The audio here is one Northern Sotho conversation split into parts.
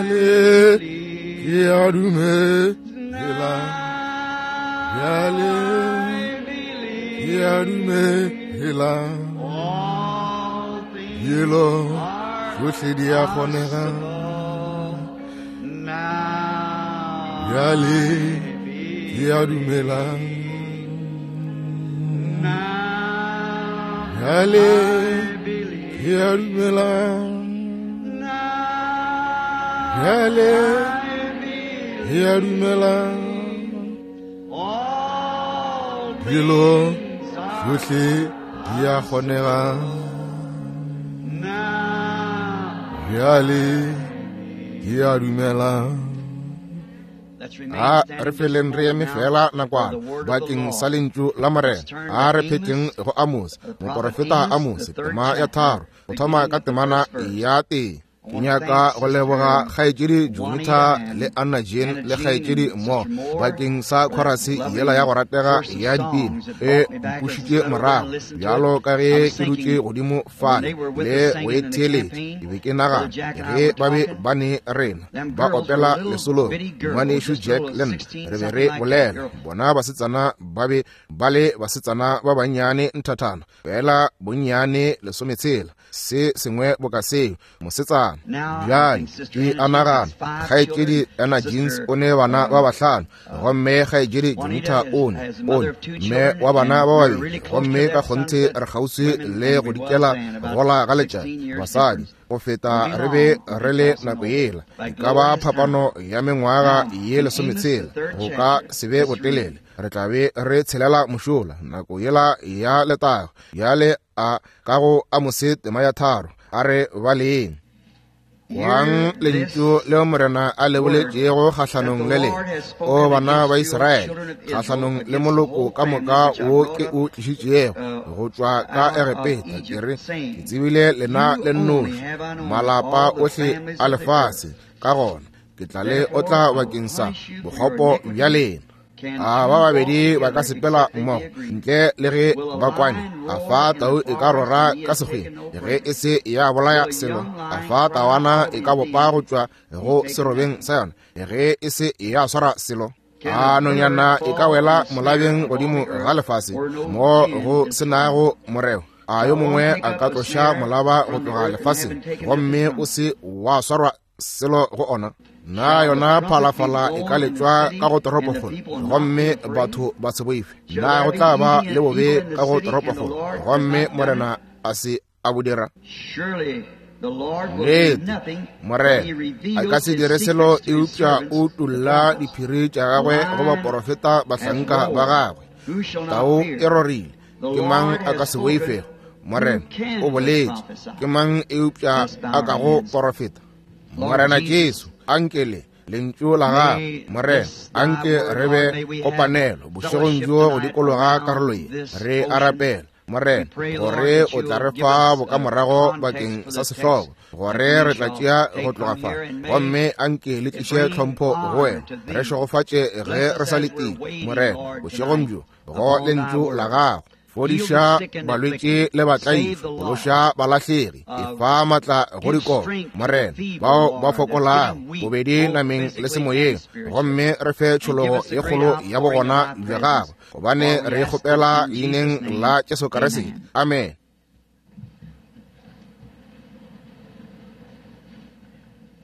Bjale ke a dumela. Bjale ke a dumela. Dilo tšohle di a kgonega. Bjale ke a dumela. Bjale ke a dumela. Bjale ke a dumela. Dilo tšohle di a kgonega. Bjale ke a dumela. A re feleng re eme fela nakwana bakeng sa lentšu la Morena. A re phetleng go Amose, moporofeta Amose, tema ya 3, go thoma ka temana ya 1. Ke nyaka go leboga kgaetšedi Junita le Anna Jean le kgaetšedi Mo bakeng sa khorase yela ya go ratega ya dipina e mpušitše morago bjalo ka ge ke dutše godimo fale le go e theeletša. Ke be ke nagana ge ba be ba ne rena ba opela lesolong, ngwanešu Jack le nna re be re bolela, bona basetsana ba be ba le basetsana ba bannyane nthathana fela bonnyane 16, se sengwe boka seo, mosetsana. Bjale ke a nagana kgaetšedi Anna Jeans o ne bana ba 5, gomme kgaetšedi Junita o ne mme wa bana ba babedi, gomme ka kgonthe re kgauswi le go dikela gola ga letšatši basadi go feta re be re le nako yela. E ka ba phapano ya mengwaga ye 16, go ka se be botelele, re tla be re tshelela mošola nako yela ya letago. Bjale a ka go Amose tema ya 3, a re baleng. Kwang lentšu leo Morena a le boletšego kgahlanong le lena, o bana ba Israele, kgahlanong le moloko ka moka wo ke o tlišitšego go tšwa ka Egepeta. Ke re, ke tsebile lena le nnoši, malapa ohle a lefase, ka gona ke tla le otla bakeng sa bokgopo bja lena. A ba babedi ba ka sepela mmogo ntle le ge ba kwane? A fa tau e ka rora ka sekgweng ge e se ya bolaya selo? A fa tawana e ka bopa go tšwa go serobeng sa yona ge e se ya swara selo? A nonyana e ka wela molabeng godimo ga lefase mo go se nago moreo? A yo mongwe a ka tloša molaba go tloga lefaseng gomme o se wa swarwa selo go ona? Na yona phalafala e ka letšwa ka go toropokgolo gomme batho ba se boife? Na go tla ba le bobe ka go toropokgolo gomme Morena a se a bo dira? Nnete, Morena a ka se dire selo eupša o tulla diphiri tša gagwe go baporofeta bahlanka ba gagwe. Tau e rorile, ke mang a ka se boifego? Morena o boletše, ke mang eupša a ka go porofeta? Morena Jesu, anke le lentšu la gago, Morena, anke re be kopanelo bošegong bjo go dikologa karolo ye. Re a rapela, Morena, gore o tla re fa bokamorago bakeng sa sehlogo, gore re tla tšea go tloga fa, gomme anke le tliše tlhompho go wena. Re šegofatše ge re sa letile, Morena, bošegong bjo go lentšu la gago. Fodiša balwetši le batlaiši, phološa balahlegi, efa matla go dikolo, Morena, bao ba fokolago bobedi nameng le semoyeng, gomme re fe tšhologo ye kgolo ya bogona bja gago, gobane re kgopela leineng la Jesu Kriste. Amen.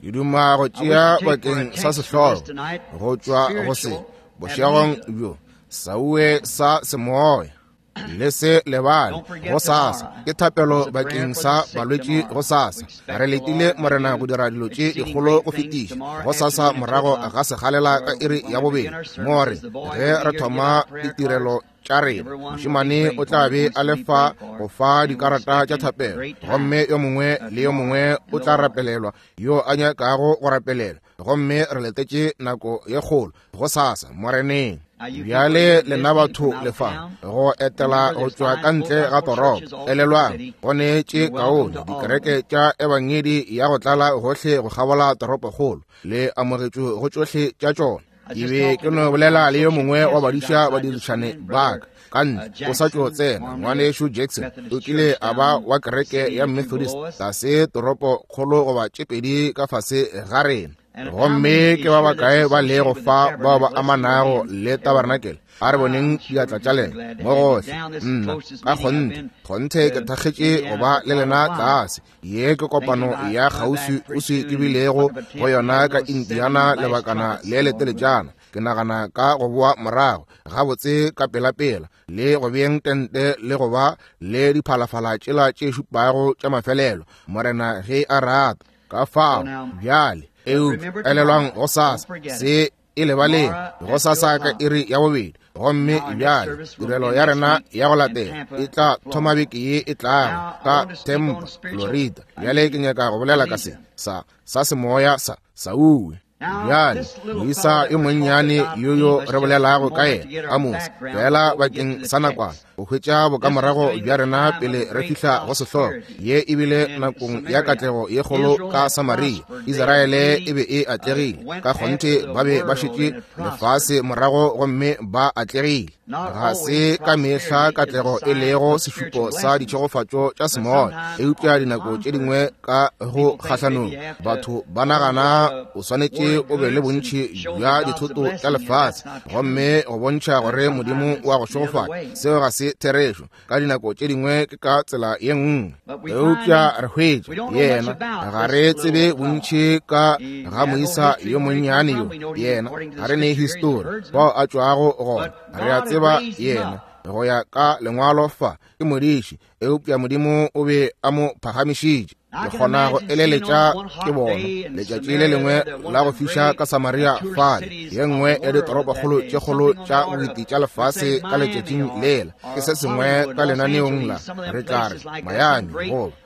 Ke duma go tšea bakeng sa sehlogo go tšwa go se bošegong bjo, sauwe sa semoya. Le se lebale go sasa ke thapelo bakeng sa balwetši go sasa. Re letile Morena go dira dilo tše dikgolo go fetiša go sasa morago ga segalela ka iri ya 2, mo re ge re thoma ditirelo tša rena. Mošemane o tla be a le fa go fa dikarata tša thapelo, gomme yo mongwe le yo mongwe o tla rapelelwa yo a nyakago go rapelelwa, gomme re letetše nako ye kgolo go sasa Moreneng. Bjale lena batho le fa go etela go tšwa ka ntle ga toropo, elelwang go ne tše kaone dikereke tša ebangedi ya go tlala gohle go kgabola toropokgolo, le amogetšwe go tšohle tša tšona. Ke be ke no bolela le yo mongwe wa badiša badirišane ba ka ka ntle, o sa tšo tsena, ngwanešu Jackson, o kile a ba wa kereke ya Methodist tlase toropokgolo goba tše pedi ka fase ga rena. Gomme ke ba bakae ba lego fa bao ba amanago le tabarnakele? A re boneng diatla tša lena mo gohle. Nna ka kgonthe, kgonthe ke thakgetše go ba le lena tlase. Ye ke kopano ya kgauswi-uswi ke bilego go yona ka Indiana lebakana le leteletšana. Ke nagana ka go boa morago gabotse ka pelapela le go beeng tente le go ba le diphalafala tšela tše šupago tša mafelelo, Morena ge a rata. Ka fao bjale, eupša elelwang gosasa se e lebaleng, gosasa ka iri ya bobedi. Gomme bjale tirelo ya rena ya go latela e tla thoma beke ye e tlago ka Tampa, Florida. Bjale ke nyaka go bolela ka se sa sa semoya sa Sauwe. Bjale moisa yo monnyane yo yo re bolelago ka yena, Amose, fela bakeng sa nakwana go hwetša bokamorago bja rena pele re fihla go sehlogo. Ye e bile nakong ya katlego ye kgolo ka Samaria. Israele e be e atlegile ka kgonthe, ba be ba šetše lefase morago gomme ba atlegile. Ga se ka mehla katlego e lego sešupo sa ditšhegofatšo tša semoya, eupša dinako tše dingwe ka go kgahlanong batho ba nagana o swanetše o be le bontši bja dithoto tša lefase gomme go bontšha gore Modimo wa go šegofatša. Seo ga se therešo. Ka dinako tše dingwe ke ka tsela ye nngwe, eupša re hwetša yena ga re tsebe bontši ka ga moisa yo monnyane yo. Yena ga re ne histori bao a tšwago gona. Re a tseba yena go ya ka lengwalo fa ke modiši, eupša Modimo o be a mo phagamišitše. Ke kgona go eleletša ke bona letšatši le lengwe la go fiša ka Samaria fale, ye nngwe ya ditoropokgolo tše kgolo tša boeti tša lefase ka letšatšing lela. Ke se sengwe ka lenaneong la re tla re Miami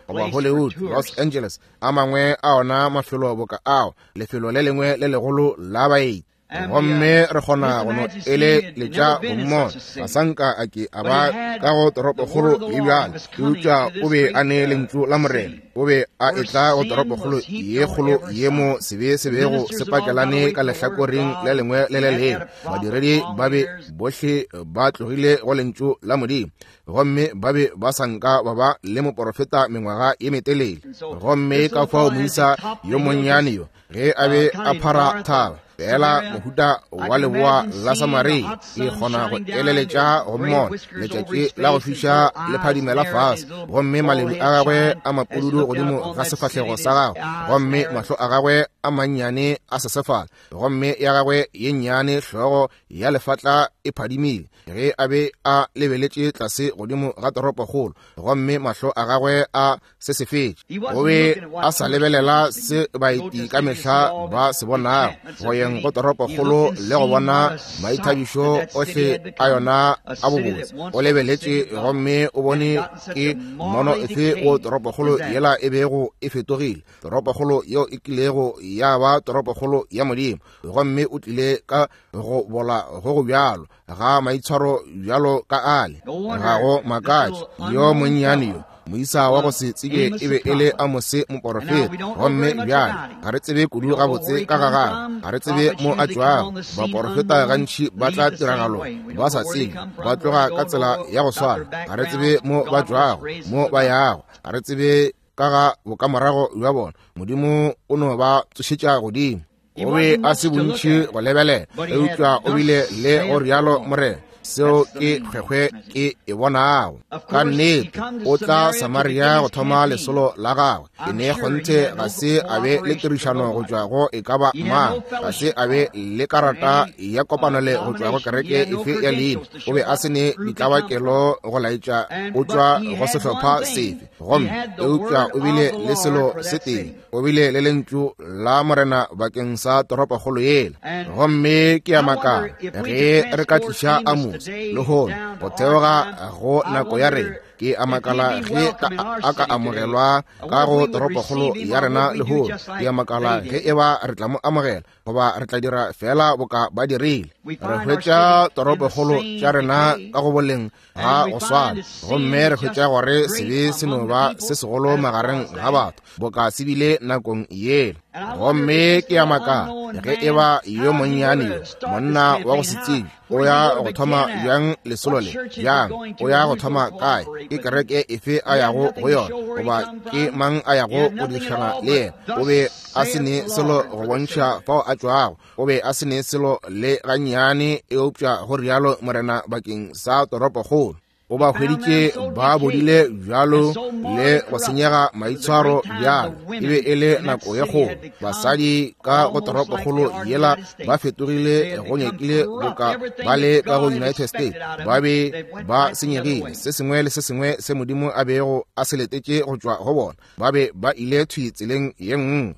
goba Hollywood, Los Angeles, a mangwe a ona mafelo boka ao, lefelo le lengwe le legolo la baeti. Gomme re kgona go no eleletša go mmona. Ga sa nka a ke a ba ka go toropokgolo ye bjale, eupša o be a ne lentšu la Morena. O be a etla go toropokgolo ye kgolo ye mo sebe se bego se pakelane ka lehlakoreng le lengwe le le lengwe. Badiredi ba be bohle ba tlogile go lentšu la Modimo, gomme ba be ba sa nka ba ba le moporofeta mengwaga ye metelele. Gomme ka fao moisa yo monnyane yo ge a be a phara thaba fela mohuta wa leboa la Samaria, ke kgona go eleletša go mmona letšatši la go fiša le phadimela fase, gomme maledu a gagwe a mapududu godimo ga sefahlego sa gagwe, gomme mahlo a gagwe a mannyane a sesefala, gomme ya gagwe ye nnyane hlogo ya lefatla e phadimile ge a be a lebeletše tlase godimo ga toropokgolo, gomme mahlo a gagwe a se se fetše. O be a sa lebelela se baeti ka mehla ba se bonago, go yeng go toropokgolo le go bona maithabišo ohle a yona a bobotse. O lebeletše gomme o bone ke mmono efe wo toropokgolo yela e bego e fetogile, toropokgolo yeo e kilego ya ba toropokgolo ya Modimo. Gomme o tlile ka go bola go go bjalo ga maitshwaro bjalo ka ale. Ga go makatše yo monnyane yo moisa wa go se tsebe e be e le Amose moporofeta. Gomme bjale ga re tsebe kudu gabotse ka ga gagwe, ga re tsebe mo a tšwago. Baporofeta gantši ba tla tiragalo ba sa tsebe, ba tloga ka tsela ya go swana. Ga re tsebe mo ba tšwago, mo ba yago, ga re tsebe ka ga bokamorago bja bona. Modimo o no ba tsošetša godimo. O be a se bontši go lebelela, eupša o bile le go rialo Morena. Seo ke kgwekgwe ke e bonago. Ka nnete o tla Samaria go thoma lesolo la gagwe. Ke ne kgonthe ga se a be le tirišano go tšwa go e ka ba mang, ga se a be le karata ya kopanole go tšwa go kereke efe ya leina. O be a se ne ditlabakelo go laetša o tšwa go sehlopha sefe. Gomme eupša o bile le selo se tee, o bile le lentšu la Morena bakeng sa toropokgolo yela. Gomme ke a makala ge re ka tliša Amose lehono go theoga go nako ya rena. Ke a makala ge a ka amogelwa ka go toropokgolo ya rena lehono. Ke a makala ge e ba re tla mo amogela goba re tla dira fela boka ba dirile. Re hwetša toropokgolo tša rena ka go boleng ga go swana, gomme re hwetša gore sebe se no ba se segolo magareng ga batho boka se bile nakong yela. Gomme ke a makala ge e ba yo monnyane yo, monna wa go se tsebe, o ya go thoma bjang lesolo le, bjang o ya go thoma kae, ke kereke efe a yago go yona, goba ke mang a yago go dirišana le yena. O be a se ne selo go bontšha fao a tšwago, o be a se ne selo le gannyane, eupša go rialo Morena bakeng sa toropokgolo. O ba hweditše ba bodile bjalo le go senyega maitshwaro bjalo. E be e le nako ye kgolo. Basadi ka go toropokgolo yela ba fetogile go nyakile boka ba le ka go United States. Ba be ba senyegile. Se sengwe le se sengwe se Modimo a bego a se letetše go tšwa go bona, ba be ba ile thwi tseleng ye nngwe.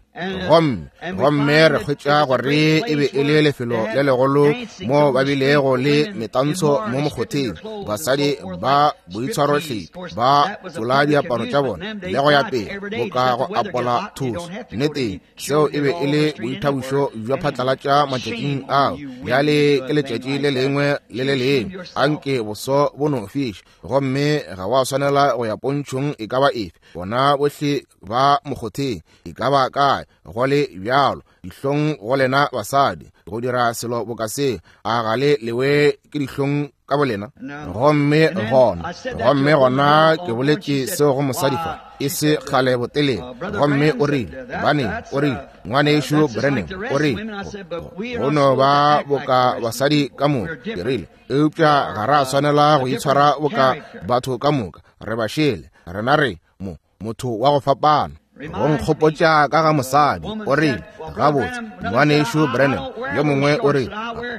Gomme, gomme re hwetša gore e be e le lefelo le legolo mo ba bilego le metantsho mo mokgotheng, basadi ba boitshwarohlephi ba tsola diaparo tša bona le go ya pele boka go apola thoso. Nnete, seo e be e le boithabišo bja phatlalatša matšatšing ao. Bjale ke letšatši le lengwe le le lengwe, anke boso bo no fiša, gomme ga wa swanela go ya pontšhong e ka ba efe. Bona bohle ba mokgotheng e ka ba kae, go le bjalo, dihlong go lena basadi go dira selo boka se. A ga le lewe ke dihlong ka bolena? Gomme gona, gomme gona ke boletše seo go mosadi fa e se kgale botelele, gomme o rile, gobaneng, o rile, Ngwanešu Branham, o rile, go no ba boka basadi ka moka. Ke rile, eupša ga ra swanela go itshwara boka batho ka moka, re ba šele, rena re mo motho wa go fapana. Go nkgopotša ka ga mosadi, o rile, gabotse, Ngwanešu Branham, yo mongwe o rile,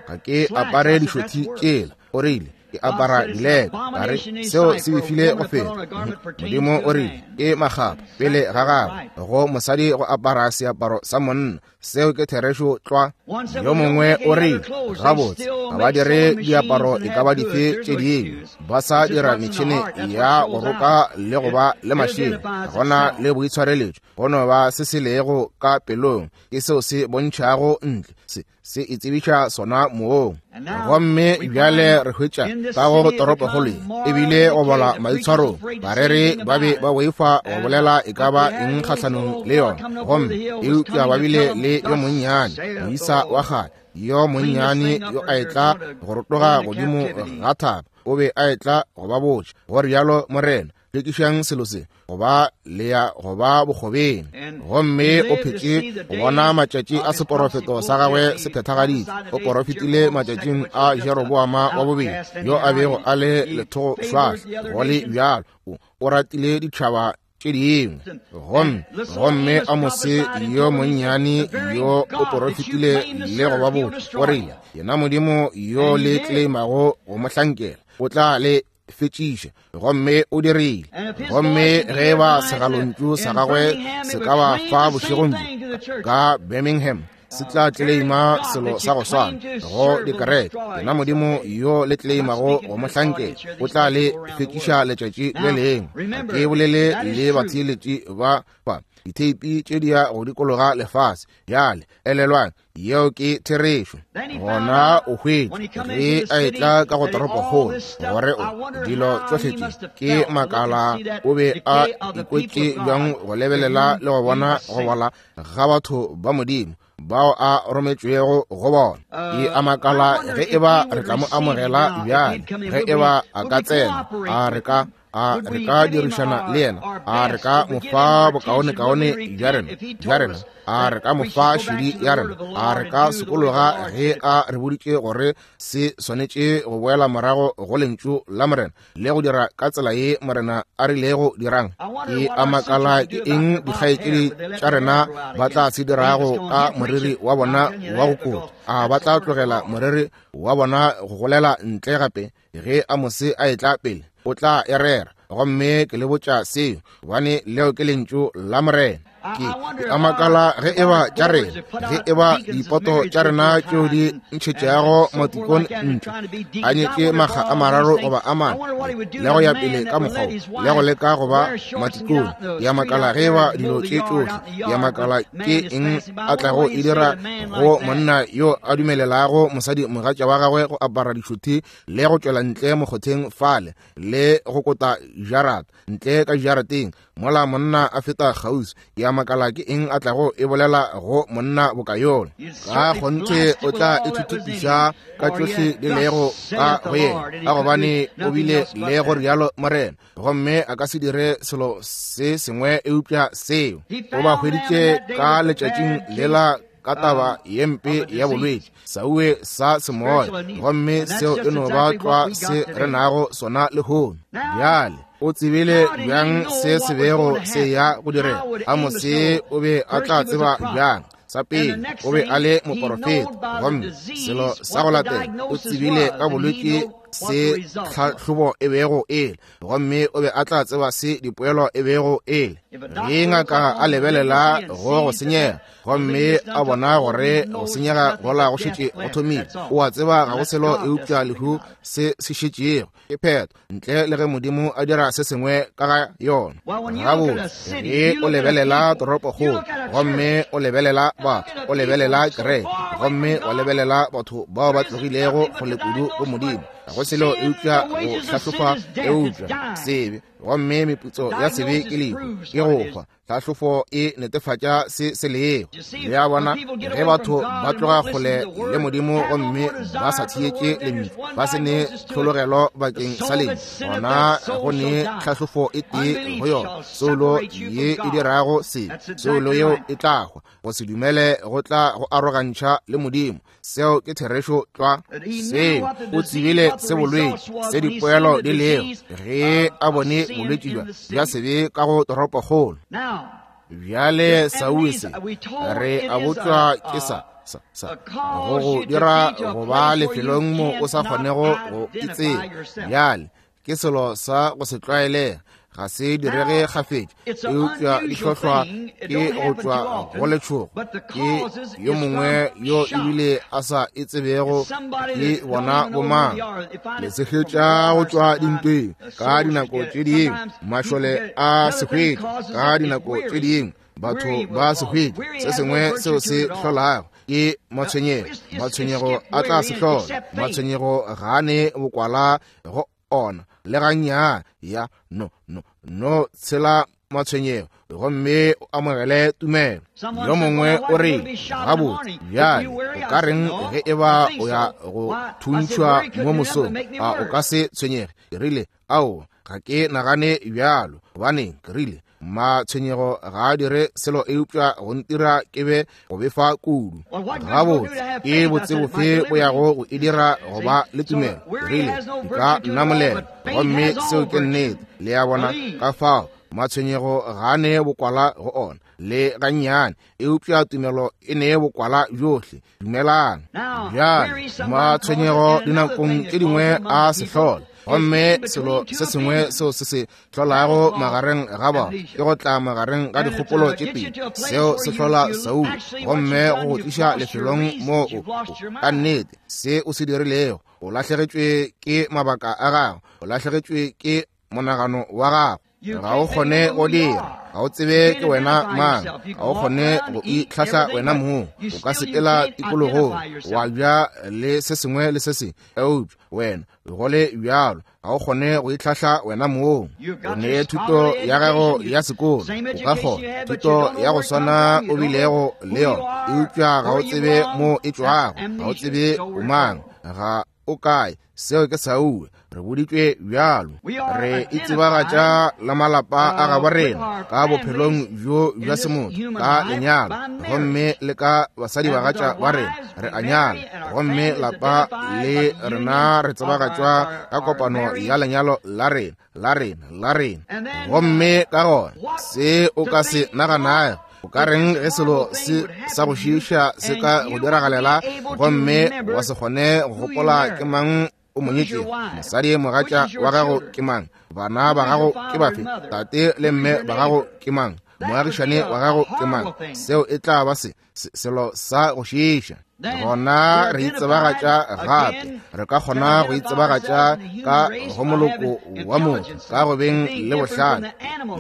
ga ke apare dišothi tšela, o rile, ke apara dileka. Ka re, seo se befile go feta. Modimo o rile, ke makgapha pele ga gagwe go mosadi go apara seaparo sa monna. Seo ke therešo tlwa. Yo mongwe o rile, gabotse, ga ba dire diaparo e ka ba dife tše dingwe, ba sa dira metšhene ya go roka le go ba le mašela. Ga gona le boitshwareletšo, go no ba se se lego ka pelong, ke seo se bontšhago ntle, se se itsebiša sona moong. Gomme bjale re hwetša ka go toropokgolo ye e bile go bola maitshwarong. Bareri ba be ba boifa go bolela e ka ba eng kgahlanong le yona, gomme eupša ba bile le yo monnyane moisa wa kgale, yo monnyane yo a etla go rotoga godimo ga thaba, o be a etla go ba botša, go rialo Morena, hlwekišang selo se, goba le ya go ba bokgobeng. Gomme o phetše go bona matšatši a seporofeto sa gagwe se phethagaditše. O porofetile matšatšing a Jeroboama wa bobedi, yo a bego a le lethogošwahla, go le bjalo o ratile ditšhaba tše dingwe. Gomme, gomme Amose yo monnyane yo o porofetile le go ba botša, o rile, yena Modimo yo le tleimago go mo hlankela, o tla le fetšiša. Gomme o dirile. Gomme ge ba segalontšu sa gagwe se ka ba fa bošegong bjo ka Birmingham, se tla tleima selo sa go swana go dikereke, yena Modimo yo le tleimago go mo hlankela, o tla le fetšiša letšatši le lengwe. Ga ke bolele le batheeletši ba fa ditheipi tše di ya go dikologa lefase. Bjale elelwang, yeo ke therešo. Gona o hwetše ge a etla ka go toropokgolo gore o dilo tšohle tše ke makala, o be a ikwetše bjang go lebelela le go bona go bola ga batho ba Modimo bao a rometšwego go bona. Ke a makala ge e ba re tla mo amogela bjale, ge e ba a ka tsena, a re ka a re ka dirišana le yena, a re ka mo fa bokaonekaone bja rena, bja rena, a re ka mo fa šedi ya rena, a re ka sokologa ge a re boditše gore se swanetše go boela morago go lentšu la Morena le go dira ka tsela ye Morena a rilego dirang. Ke a makala ke eng dikgaetšedi tša rena ba tla se dirago ka moriri wa bona wa go kota. A ba tla tlogela moriri wa bona go golela ntle gape? Ge Amose a etla pele, o tla e rera. Gomme ke le botša seo, gobane leo ke lentšu la Morena. Ke a makala ge e ba tša rena, ge e ba dipoto tša rena tšeo di ntšhetšago matikone ntle, a nyetše makga a mararo goba a mane, le go ya pele ka mokgwa wo, le go leka go ba matikone. Ke a makala ge e ba dilo tše tšohle, ke a makala ke eng a tlago e dira go monna yo a dumelelago mosadi mogatša wa gagwe go apara dišothi le go tšwela ntle mokgotheng fale le go kota jarata ntle ka jarateng mola monna a feta kgauswi. Ke a makala ke eng a tlago e bolela go monna boka yola. Ka kgonthe o tla e thuthupiša ka tšohle di lego ka go yena, ka gobane o bile le go rialo Morena, gomme a ka se dire selo se sengwe eupša seo. O ba hweditše ka letšatšing lela ka taba ye mpe ya bolwetši sauwe sa semoya, gomme seo e no ba tlwa se re nago sona lehono. Bjale o tsebile bjang se se bego se ya go direga? Amose o be a tla tseba bjang? Sa pele, o be a le moporofeta, gomme selo sa go latela, o tsebile ka bolwetši se tlhahlobo e bego e le, gomme o be a tla tseba se dipoelo e bego e le. Ge ngaka a lebelela go go senyega gomme a bona gore go senyega gola go šetše go thomile, o a tseba ga go selo eupša lehu se se šetšego ke phetho, ntle le ge Modimo a dira se sengwe ka ga yona. Gabotse, ge o lebelela toropokgolo gomme o lebelela batho, o lebelela kereke gomme wa lebelela batho bao ba tlogilego kgole kudu go Modimo, ga go selo eupša go hlahlofa eupša sebe, gomme meputso ya sebe ke lehu, ke go hwa. Tlhahlofo e netefatša se se lego. Le a bona, ge batho ba tloga kgole le Modimo gomme ba sa theetše Lentšu, ba se ne tlhologelo bakeng sa Lentšu, gona go ne tlhahlofo e tee go yona, soulo ye e dirago se, soulo yeo e tla hwa. Go se dumele go tla go arogantšha le Modimo. Seo ke therešo tlwa. Seo o tsebile se bolwetši se dipoelo di lego ge a bone bolwetši bja bja sebe ka go toropokgolo. Bjale Saule se re a botšwa ke sa sa sa go go dira go ba lefelong mo o sa kgonego go itseba. Bjale ke selo sa go se tlwaelega, ga se direge kgafetša, eupša di hlohlwa ke go tšwa go letšhogo ke yo mongwe yo ebile a sa e tsebego ke bona bomang. Le se hwetša go tšwa dintweng ka dinako tše dingwe, mašole a se hwetša ka dinako tše dingwe, batho ba se hwetša. Se sengwe seo se hlolago ke matshwenyego, matshwenyego a tla se hlola, matshwenyego ga a ne bokwala go ona le gannyane. Ya no no no tshela matshwenyego gomme o amogele tumelo. Yo mongwe o re, gabotse bjale o ka reng ge e ba o ya go thuntšhwa mo mosong? A o ka se tshwenyege? Ke rile, aowa, ga ke nagane bjalo. Gobaneng? Ke rile, matshwenyego ga a dire selo eupša go ntira ke be go befa kudu. Gabotse, ke botse bofe bo yago go e dira go ba le tumelo? Rile, di ka nnamolela, gomme seo ke nnete. Le a bona? Ka fao matshwenyego ga a ne bokwala go ona le gannyane, eupša tumelo e ne bokwala bjohle. Dumelang. Bjale matshwenyego dinakong tše dingwe a se hlola, gomme selo se sengwe seo se se hlolago magareng ga bao ke go tla magareng ga dikgopolo tše pedi. Seo se hlola Saul, gomme go go tliša lefelong moo o ka nnete se o se dirilego, o lahlegetšwe ke mabaka a gago, o lahlegetšwe ke monagano wa gago, ga o kgone go dira, ga o tsebe ke wena mang, ga o kgone go itlhahla wena mong. O ka sepela tikologong wa ja le se sengwe le se sengwe, eupša wena go le bjalo ga o kgone go itlhahla wena mong. O ne thuto ya gago ya sekolo, o ka kgona thuto ya go swana o bilego le yona, eupša ga o tsebe mo e tšwago, ga o tsebe o mang, ga o kae. Seo ke Saul, re boditšwe bjalo. Re itsebagatša la malapa a gabo rena ka bophelong bjo bja semotho ka lenyalo, gomme le ka basadibagatša ba rena re a nyala, gomme lapa le rena re tsebagatšwa ka kopano ya lenyalo la rena, la rena, la rena. Gomme ka gona se o ka se naganago, o ka reng ge selo se sa go šiiša se ka go diragalela gomme wa se kgone go gopola ke mang o mo nyetšego, mosadi mogatša wa gago ke mang, bana ba gago ke bafe, tate le mme ba gago ke mang? Moagišane wa gago ke mang. Seo e tla ba se selo sa go šiiša. Gona re itsebagatša gape, re ka kgona go itsebagatša ka go moloko wa motho ka go beng le bohlale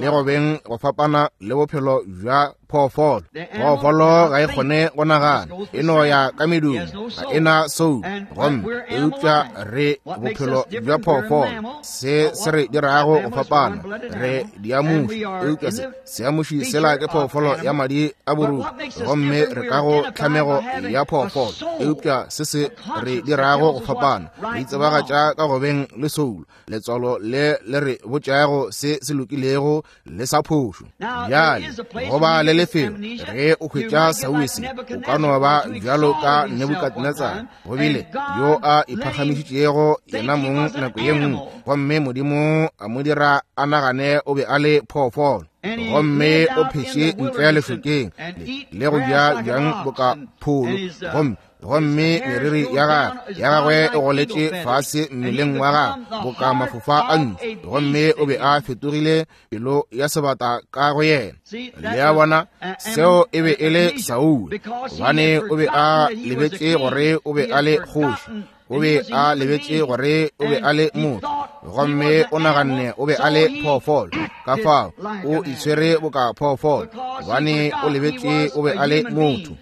le go beng go fapana le bophelo bja phoofolo. Phoofolo ga e kgone go nagana, e no ya ka medumo, ga e na soul. Gomme eupša re bophelo bja phoofolo, se se re dirago go fapana, re diamuši. Eupša se seamuši sela ke phoofolo ya madi a boruti, gomme re ka go tlhamego ya phoofolo. Eupša se se re dirago go fapana, re itsebagatša ka go beng le soul, letswalo le le re botšago se se lokilego le sa phošo. Bjale go ba le lefelo ge o hwetša sauese, o ka no ba bjalo ka Nebukadnetsara, go bile yo a iphagamišitšego yena mong nako ye nngwe, gomme Modimo a mo dira a nagane o be a le phoofolo, gomme o phetše ntle lešokeng le go ja bjang boka pholo, gomme meriri ya gagwe e goletše fase mmeleng wa gagwe boka mafofa a ntšu, gomme o be a fetogile pelo ya sebata ka go yena. Le a bona, seo e be e le Saul, gobane o be a lebetše gore o be a le kgoši, o be a lebetše gore o be a le motho, gomme o naganne o be a le phoofolo. Ka fao o itshwere boka phoofolo, gobane o lebetše o be a le motho.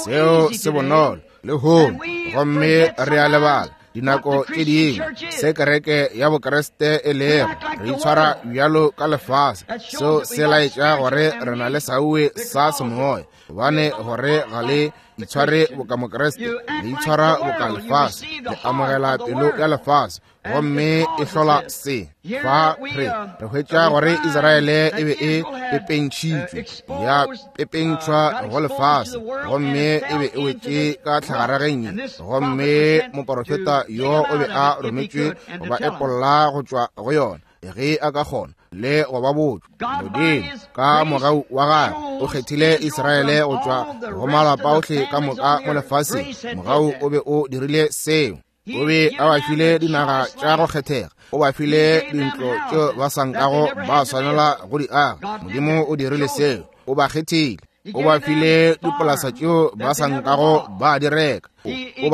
Seo se bonolo lehono, gomme re a lebala dinako tše dingwe se kereke ya Bokriste e lego. Re itshwara bjalo ka lefase. Seo se laetša gore re na le sauwe sa semoya, gobane gore ga le itshware boka Mokriste, le itshwara boka lefase, le amogela pelo ya lefase, gomme e hlola se. Fa re hwetša gore Israele e be e pepentšhitšwe, ya pepentšhwa go lefase, gomme e be e wetše ka tlhagarageng, gomme moporofeta yo o be a rometšwe go ba epolla go tšwa go yona ge a ka kgona le go ba botšwa. Modimo ka mogau wa gagwe o kgethile Israele go tšwa go malapa ohle ka moka mo lefaseng. Mogau o be o dirile seo. O be a ba file dinaga tša go kgethega, o ba file dintlo tšeo ba sa nkago ba swanela go di aga. Modimo o dirile seo, o ba kgethile. O ba file dipolasa tšeo ba sa nkago ba di reka. O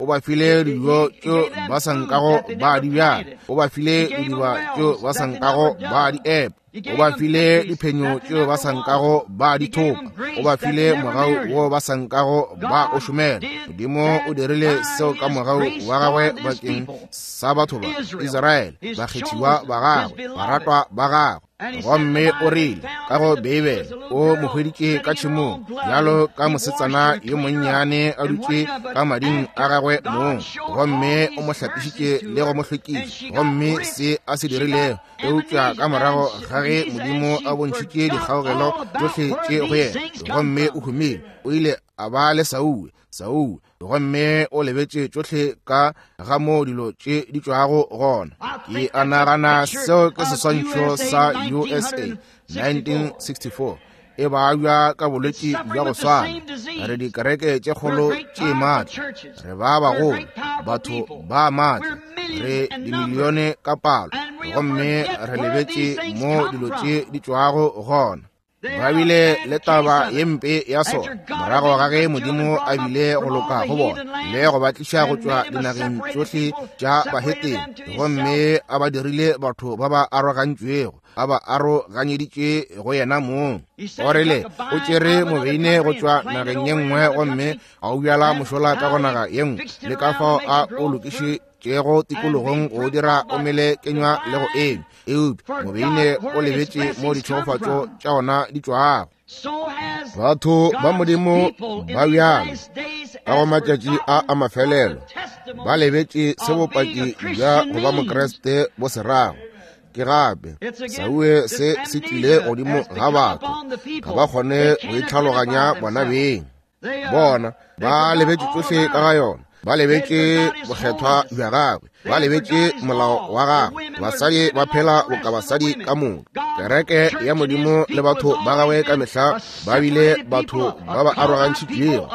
ba file dijo tšeo ba sa nkago ba di bjala. O ba file didiba tšeo ba sa nkago ba di epa. O ba file diphenyo tšeo ba sa nkago ba di thopa. O ba file mogau wo ba sa nkago ba o šomela. Modimo o dirile seo ka mogau wa gagwe bakeng sa batho ba Israele, bakgethiwa ba gagwe, baratwa ba gagwe. Gomme o rile ka go Beibele, o mo hweditše ka tšhemong bjalo ka mosetsana yo monnyane a dutše ka mading a gagwe mong, gomme o mo hlapišitše le go mo hlwekiša. Gomme se a se dirilego, eupša ka morago ga ge Modimo a bontšhitše dikgaogelo tšohle tše go yena, gomme o humile, o ile a ba le Saul, gomme o lebetše tšohle ka ga moo dilo tše di tšwago gona. Ke a nagana seo ke seswantšho sa USA 1964 e babja ka bolwetši bja go swana. Re dikereke tše kgolo tše maatla, re ba bagolo, batho ba maatla, re dimilione ka palo, gomme re lebetše mo dilo tše di tšwago gona. Ba bile le taba ye mpe ya sona morago ga ge Modimo a bile go loka go bona le go ba tliša go tšwa dinageng tšohle tša bahetene, gomme a ba dirile batho ba ba arogantšwego, a ba aroganyeditše go yena mong. O rile o tšere mobeine go tšwa nageng ye nngwe gomme a o bjala mošola ka go naga ye nngwe, le ka fao a o lokišitšego tikologong go dira o mele kenywa le go enywa. Eupša mobeine o lebetše mo ditšhegofatšo tša ona di tšwago. Batho ba Modimo ba bjalo ka go matšatši a a mafelelo ba lebetše se bopaki bja go ba Mokriste bo se rago. Ke gape sauwe se se tlile godimo ga batho, ga ba kgone go itlhaloganya bona beng. Bona ba lebetše tšohle ka ga yona, ba lebetše bokgethwa bja gagwe. Ba lebetše molao wa gagwe. Basadi ba phela boka basadi ka moka. Kereke ya Modimo le batho ba gagwe ka mehla ba bile batho ba ba arogantšhitšwego,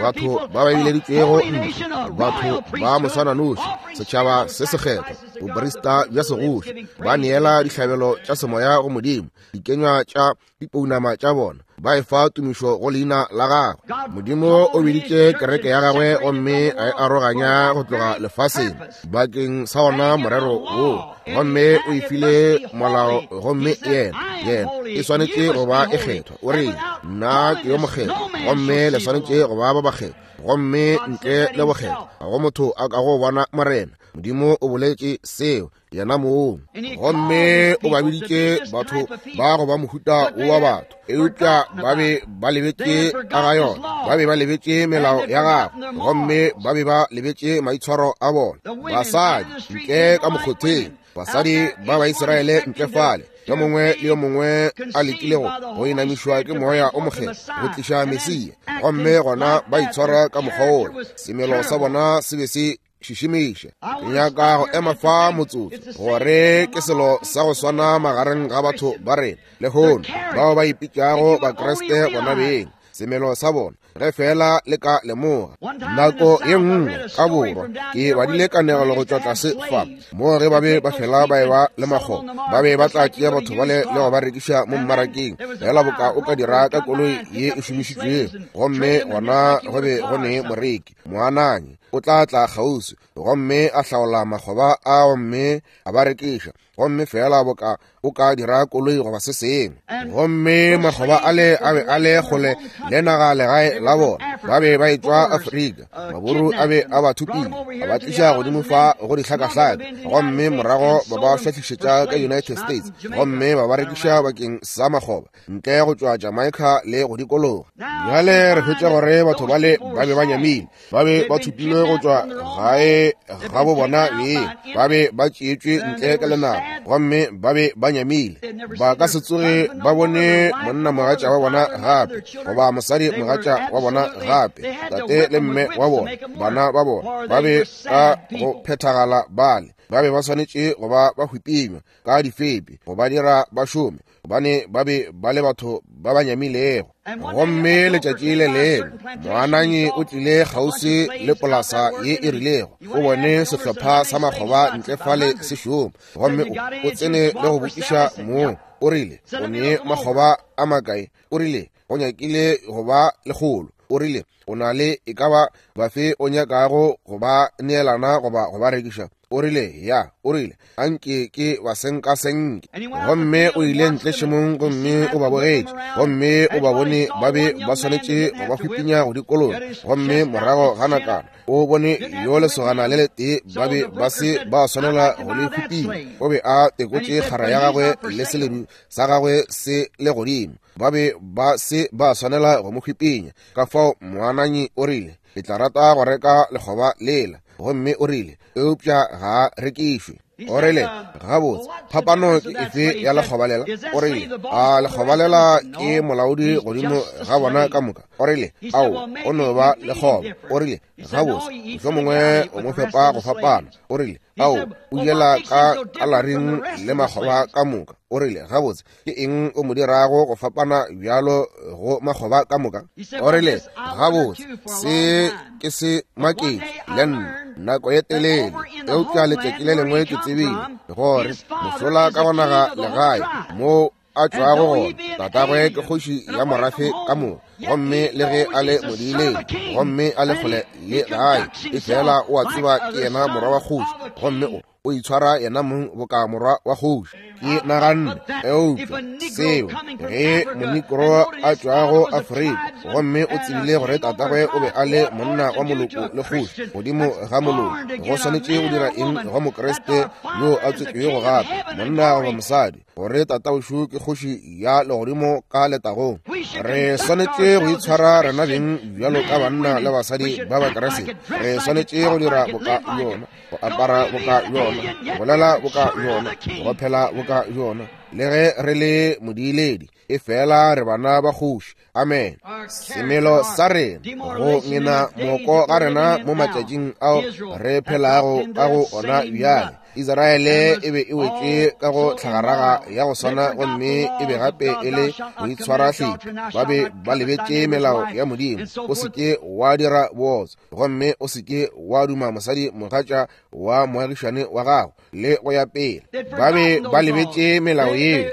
batho ba ba bileditšwego ntle, batho ba moswananoši, setšhaba se sekgethwa, boprista bja segoši, ba neela dihlabelo tša semoya go Modimo, dikenywa tša dipounama tša bona ba efa tumišo go leina la gagwe. Modimo o biditše kereke ya gagwe gomme a e aroganya go tloga lefaseng bakeng sa ona morero wo, gomme o e file molao, gomme yena yena e swanetše go ba e kgethwa. O re, nna ke yo mokgethwa, gomme le swanetše go ba ba bakgethwa, gomme ntle le bokgethwa ga go motho a ka go bona Morena. Modimo o boletše seo yena mong, gomme o ba biditše batho ba go ba mohuta wo wa batho, eupša ba be ba lebetše ka ga yona, ba be ba lebetše melao ya gagwe, gomme ba be ba lebetše maitshwaro a bona. Basadi ntle ka mokgotheng, basadi ba Baisraele ntle fale, yo mongwe le yo mongwe a lekilego go inamišwa ke moya o mokgethwa go tliša Mesia, gomme gona ba itshwara ka mokgwa wola. Semelo sa bona se be se šišimiša. Ke nyaka go ema fa motsotso gore ke selo sa go swana magareng ga batho ba rena lehono bao ba ipitšago Bakriste bona beng. Semelo sa bona, ge fela le ka lemoga. Nako ye nngwe ka borwa ke badile kanegelo go tšwa tlase fa, moo ge ba be ba fela ba eba le makgoba, ba be ba tla tšea batho bale le go ba rekiša mo mmarakeng, fela boka o ka dira ka koloi ye e šomišitšwego. Gomme gona go be go ne moreki, moananyi, o tla tla kgauswi gomme a hlaola makgoba a gomme a ba rekiša, gomme fela boka o ka dira koloi goba se sengwe. Gomme makgoba ale a be a le kgole le naga legae la bona, ba be ba etšwa Afrika, maburu a be a ba thopile, a ba tliša godimo fa go dihlakahlaka, gomme morago ba ba šwahlišetša ka United States, gomme ba ba rekiša bakeng sa makgoba ntle go tšwa Jamaica le go dikologa. Bjale re hwetša gore batho bale ba be ba nyamile, ba be ba thopilwe go tšwa gae ga bo bona beng, ba be ba tšeetšwe ntle ka lenaba, gomme ba be ba nyamile. Ba ka se tsoge ba bone monna mogatša wa bona gape, goba mosadi mogatša wa bona gape, tate le mme wa bona, bana ba bona, ba be ka go phethagala bale, ba be ba swanetše go ba ba hwipinywa ka difepi go ba dira ba šome, gobane ba be ba le batho ba ba nyamilego. Gomme letšatši le lengwe moananyi o tlile kgauswi le polasa ye e rilego, o bone sehlopha sa makgoba ntle fale se šoma, gomme o tsene le go botšiša moo. O rile, o ne makgoba a makae? O rile, go nyakile go ba lekgolo. O rile, o na le e ka ba bafe o nyakago go ba neelana goba go ba rekiša? O rile, ya. O rile, a nke ke ba senkasenke. Gomme o ile ntle šemong gomme o ba bogetše, gomme o ba bone ba be ba swanetše go ba hwipinya go dikologa. Gomme morago ga nakwana o bone yo lesogana le letee ba be ba se ba swanela go le hwipinya. O be a tekotše kgara ya gagwe le seledu sa gagwe se le godimo. Ba be ba se ba swanela go mo hwipinya. Ka fao moananyi o rile, ke tla rata go reka lekgoba lela. Gomme o rile, eupša ga a rekišwe. O rile, gabotse, phapano ke efe ya lekgoba lela? O rile, a lekgoba lela ke molaodi godimo ga bona ka moka? O rile, ao, o no ba lekgoba. O rile, gabotse, mohlomongwe o mo fepa go fapana. O rile, ao, o jela ka kalaring le makgoba ka moka. O rile, gabotse, ke eng o mo dirago go fapana bjalo go makgoba ka moka? O rile, gabotse, se ke se maketše le nna nako ye telele, eupša letšatši le lengwe ke tsebile gore mosola ka go naga legae moo a tšwago gona, tatagwe ke kgoši ya morafe ka moka, gomme le ge a le modiileng gomme a le kgole le gae, efela o a tseba ke yena morwa wa kgoši, gomme o itshwara yena mong boka morwa wa kgoši. Ke naganne, eupša seo ge monikro a tšwago Afrika, gomme o tsebile gore tatagwe o be a le monna wa moloko le kgoši godimo ga moloko, go swanetše go dira eng go Mokriste yo a tswetšwego gape, monna goba mosadi, gore tataošu ke kgoši ya legodimo ka letagong? Re swanetše go itshwara rena beng bjalo ka banna le basadi ba Bakriste. Re swanetše go dira boka yona, go apara boka yona, go bolela boka yona, go phela boka yona. Le ge re le modiiledi, efela re bana ba kgoši. Amen. Semelo sa rena, go ngena moko ga rena mo matšatšing ao re phelago ka go ona bjale. Israele e be e wetše ka go tlhagaraga ya go swana gomme e be gape e le boitshwarahlephi. Ba be ba lebetše melao ya Modimo. O se ke wa dira bootswa gomme o se ke wa duma mosadi mogatša wa moagišane wa gago, le go ya pele. Ba be ba lebetše melao yeo,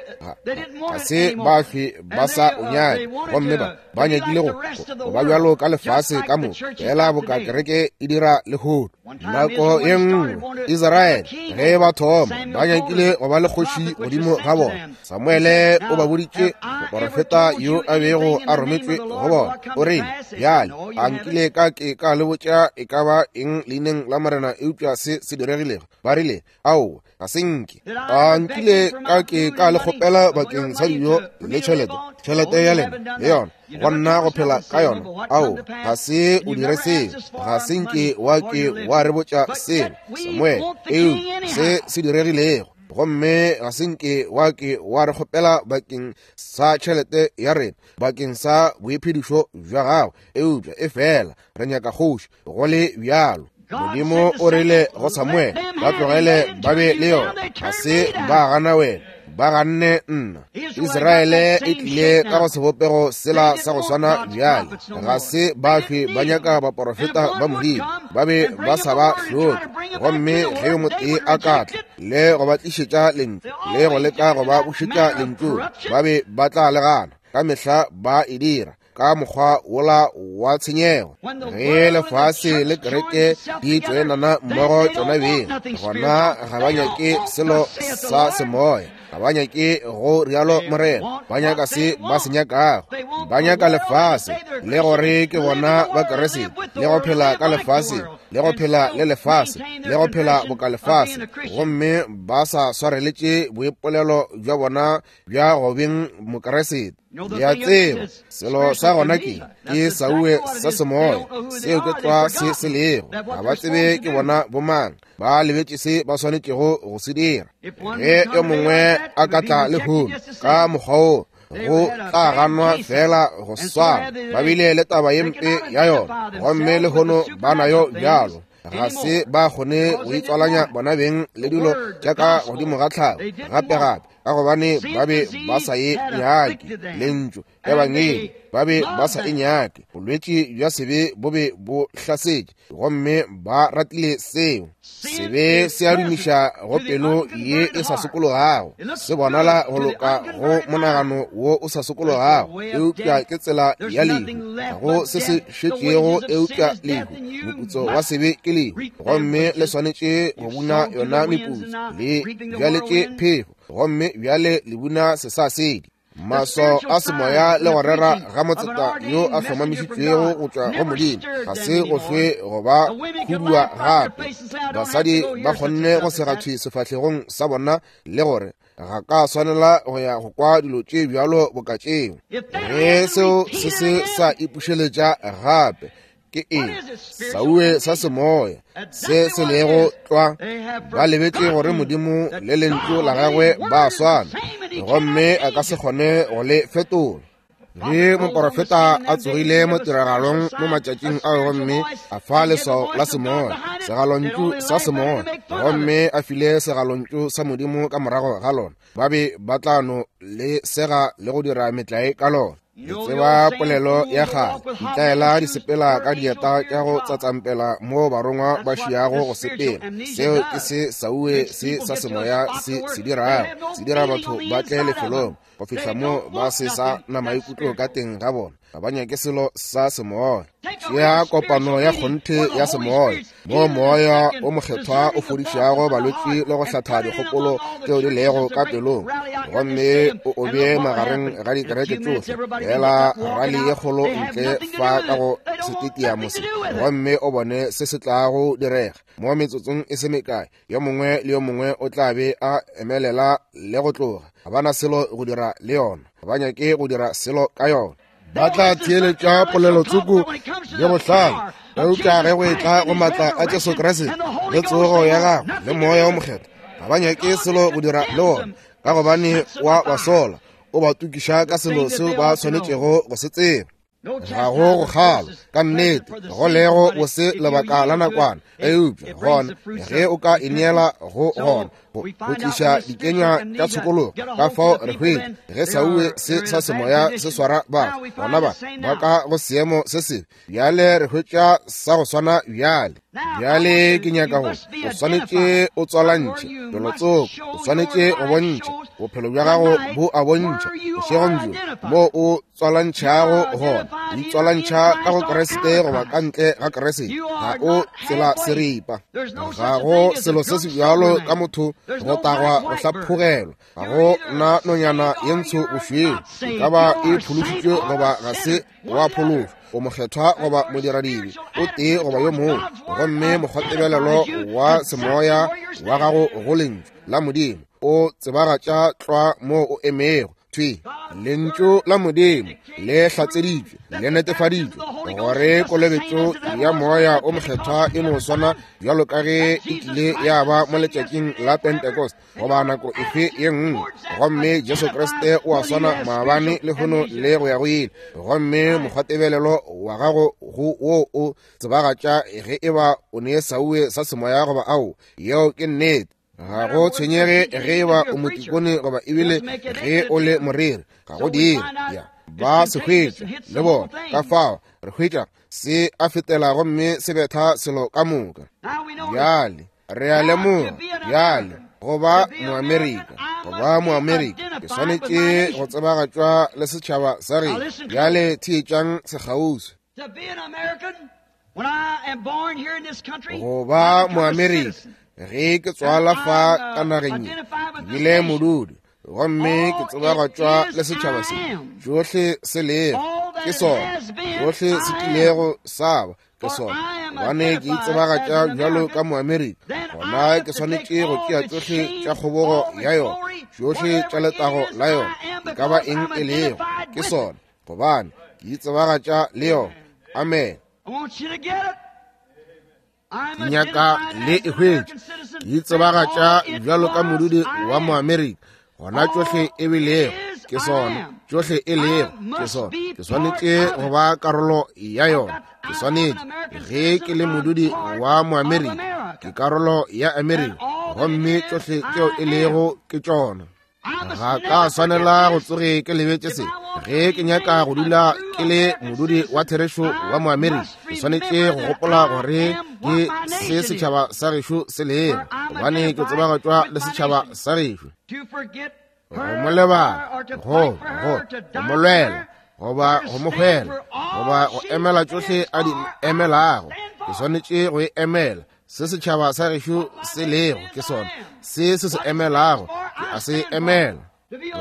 ga se ba hlwe ba sa o nyake, gomme ba nyakile go ba bjalo ka lefase ka moka, fela boka kereke e dira lehono. Nako ye nngwe Israele ge ba thoma ba nyakile go ba le kgoši godimo ga bona. Samuele o ba boditše moporofeta yo a bego a rometšwe go bona, o rile, Bjale a nkile ka ke ka le botša e ka ba eng leineng la Morena eupša se se diregilego? Ba rile, Aowa, ga se nke. A nkile ka ke ka le kgopela bakeng sa dijo le tšhelete, tšhelete ya lena le yona, go nna go phela ka yona? Aowa, ga se o dire seo. Ga se nke wa ke wa re botša selo, Samuele, eupša se se diregilego. Gomme ga se nke wa ke wa re kgopela bakeng sa tšhelete ya rena, bakeng sa boiphedišo bja gago, eupša efela re nyaka kgoši go le bjalo. Modimo o rile go Samuele, ba tlogele ba be le yona. Ga se ba gana wena, ba ganne nna. Israele e tlile ka go sebopego sela sa go swana bjale. Ga se ba hlwe ba nyaka baporofeta ba Modimo, ba be ba sa ba hloke. Gomme ge yo motee a ka tla le go ba tlišetša lentšu, le go leka go ba bušetša lentšu, ba be ba tla le gana. Ka mehla ba e dira ka mokgwa wola wa tshenyego. Ge lefase le kereke di tšoenana mmogo tšona beng, gona ga ba nyake selo sa semoya, ga ba nyake go rialo Morena, ba nyaka se ba se nyakago. Ba nyaka lefase le gore ke bona ba Keresete, le go phela ka lefase, le go phela le lefase, le go phela boka lefase, gomme ba sa swareletše boipolelo bja bona bja go beng Mokeresete. Le a tseba, selo sa gona ke sauwe sa semoya, seo ke tlwa se se lego. Ga ba tsebe ke bona bomang, ba lebetše se ba swanetšego go se dira. Ge yo mongwe a ka tla lehono ka mokgwa wo, go tla ganwa fela go swana. Ba bile le taba ye mpe ya yona, gomme lehono ba nayo bjalo. Ga se ba kgone go itswalanya bona beng le dilo tša ka godimo ga tlhago gape-gape, ka gobane ba be ba sa e nyake lentšu ebangedi, ba be ba sa e nyake. Bolwetši bja sebe bo be bo hlasetše, gomme ba ratile seo. Sebe se a dumiša go pelo ye e sa sokologago, se bonala go loka go monagano wo o sa sokologago, eupša ke tsela ya lehu. Ga go se se šetšego eupša lehu. Moputso wa sebe ke lehu, gomme le swanetše go buna yona meputso. Le bjaletše phefo, gomme bjale le buna sesasedi. Maswao a semoya le go rera ga motseta yo a hlomamišitšwego go tšwa go Modimo ga se go hlwe go ba hudua gape. Basadi ba kgonne go sega thwi sefahlegong sa bona le gore ga ka swanela go ya go kwa dilo tše bjalo boka tšeo. Ge seo se se sa ipušeletša gape, ke eng sauwe sa semoya se se lego tlwa? Ba lebetše gore Modimo le lentšu la gagwe ba swana, gomme a ka se kgone go le fetola. Ge moporofeta a tsogile mo tiragalong mo matšatšing ao gomme a fa leswao la semoya, segalontšu sa semoya, gomme a file segalontšu sa Modimo ka morago ga lona, ba be ba tla no le sega le go dira metlae ka lona. Le tseba polelo ya kgale, ditlaela di sepela ka dieta tša go tsatsampela mo barongwa ba šiago go sepela. Seo ke se sauwe se sa semoya se se dirago, se dira batho ba tle lefelong go fihla mo ba se sa na maikutlo ka teng ga bona. Ga ba nyake selo sa semoya. Tšea kopano ya kgonthe ya semoya, moo Moya o Mokgethwa o fodišago balwetši le go hlatha dikgopolo tšeo di lego ka pelong, gomme o o bee magareng ga dikereke tšohle, feela rali ye kgolo ntle fa ka go setetiamo se, gomme o bone se se tlago direga. Mo metsotsong e se mekae, yo mongwe le yo mongwe o tla be a emelela le go tloga. Ga ba na selo go dira le yona. Ga ba nyake go dira selo ka yona. Ba tla theeletša polelotsoko le bohlale, eupša ge go etla go maatla a Jesu Kriste le tsogo ya gagwe le Moya wo Mokgethwa, ga ba nyake selo go dira le wona, ka gobane wa ba sola, o ba tukiša ka selo seo ba swanetšego go se tseba. Ga go go kgala, ka nnete, go lego bose lebaka la nakwana, eupša gona ge o ka ineela go gona, go tliša dikenywa tša tshokologo. Ka fao re hwetše ge sauwe se sa semoya se swara batho, gona ba ba ka go seemo se sebe. Bjale re hwetša sa go swana bjale. Bjale ke nyaka go, o swanetše o tswalantšhe felotsoko, o swanetše go bontšha bophelo bja gago bo a bontšha bošegong bjo moo o tswalantšhago gona. O itswalantšha ka go Kriste goba ka ntle ga Kriste, ga o tsela seripa. Ga go selo se se bjalo ka motho go tagwa go hlaphogelwa. Ga go na nonyana ye ntsho bošweu, e ka ba e phološitšwe goba ga se wa phološwa, o mokgethwa goba modiradibe, o tee goba yo mongwe. Gomme mokgwatebelelo wa semoya wa gago go Lentšu la Modimo o tsebagatša tlwa moo o emego. Thwi, Lentšu la Modimo le hlatseditšwe, le netefaditšwe gore kolobetšo ya Moya o Mokgethwa e no swana bjalo ka ge e kile ya ba mo letšatšing la Pentecost goba nako efe ye nngwe. Gomme Jesu Kriste o a swana maabane, lehono le go ya go ile. Gomme mokgwatebelelo wa gago go wo o tsebagatša ge e ba o ne sauwe sa semoya goba ao. Yeo ke nnete. Ga go tshwenyege ge e ba o motikone goba ebile ge o le moreri, ga go dire. Ya, ba se hwetša le bona. Ka fao re hwetša se a fetela gomme se betha selo ka moka. Bjale re a lemoga bjale go ba Moamerika, go ba Moamerika ke swanetše go tsebagatšwa le setšhaba sa geno. Bjale theetšang sekgauswi. Go ba Moamerika ge ke tswala fa ka nageng ye, ke bile modudi gomme ke tsebagatšwa le setšhaba se. Tšohle se lego ke sona, tšohle se kilego sa ba ke sona, gobane ke itsebagatša bjalo ka Moamerika, gona ke swanetše go tšea tšohle tša kgobogo ya yona, tšohle tša letago la yona, e ka ba eng e lego, ke sona, gobane ke itsebagatša le yona. Amen. Ke nyaka le e hwetše. Ke itsebagatša bjalo ka modudi wa Moamerika, gona tšohle e bilego ke sona, tšohle e lego ke sona, ke swanetše go ba karolo ya yona. Ke swanetše, ge ke le modudi wa Moamerika, ke karolo ya Amerika, gomme tšohle tšeo e lego ke tšona. Ga ka swanela go tsoge ke lebetše se. Ge ke nyaka go dula ke le modudi wa therešo wa Moamerika, ke swanetše go gopola gore ke se setšhaba sa gešo se lego, gobane ke tsebagatšwa le setšhaba sa gešo. Go mo lebala, go, go, go mo lwela, goba go mo hwela, goba go emela tšohle a di emelago, ke swanetše go e emela. Se setšhaba sa gešo se lego ke sona, se se se emelago, ke a se emela.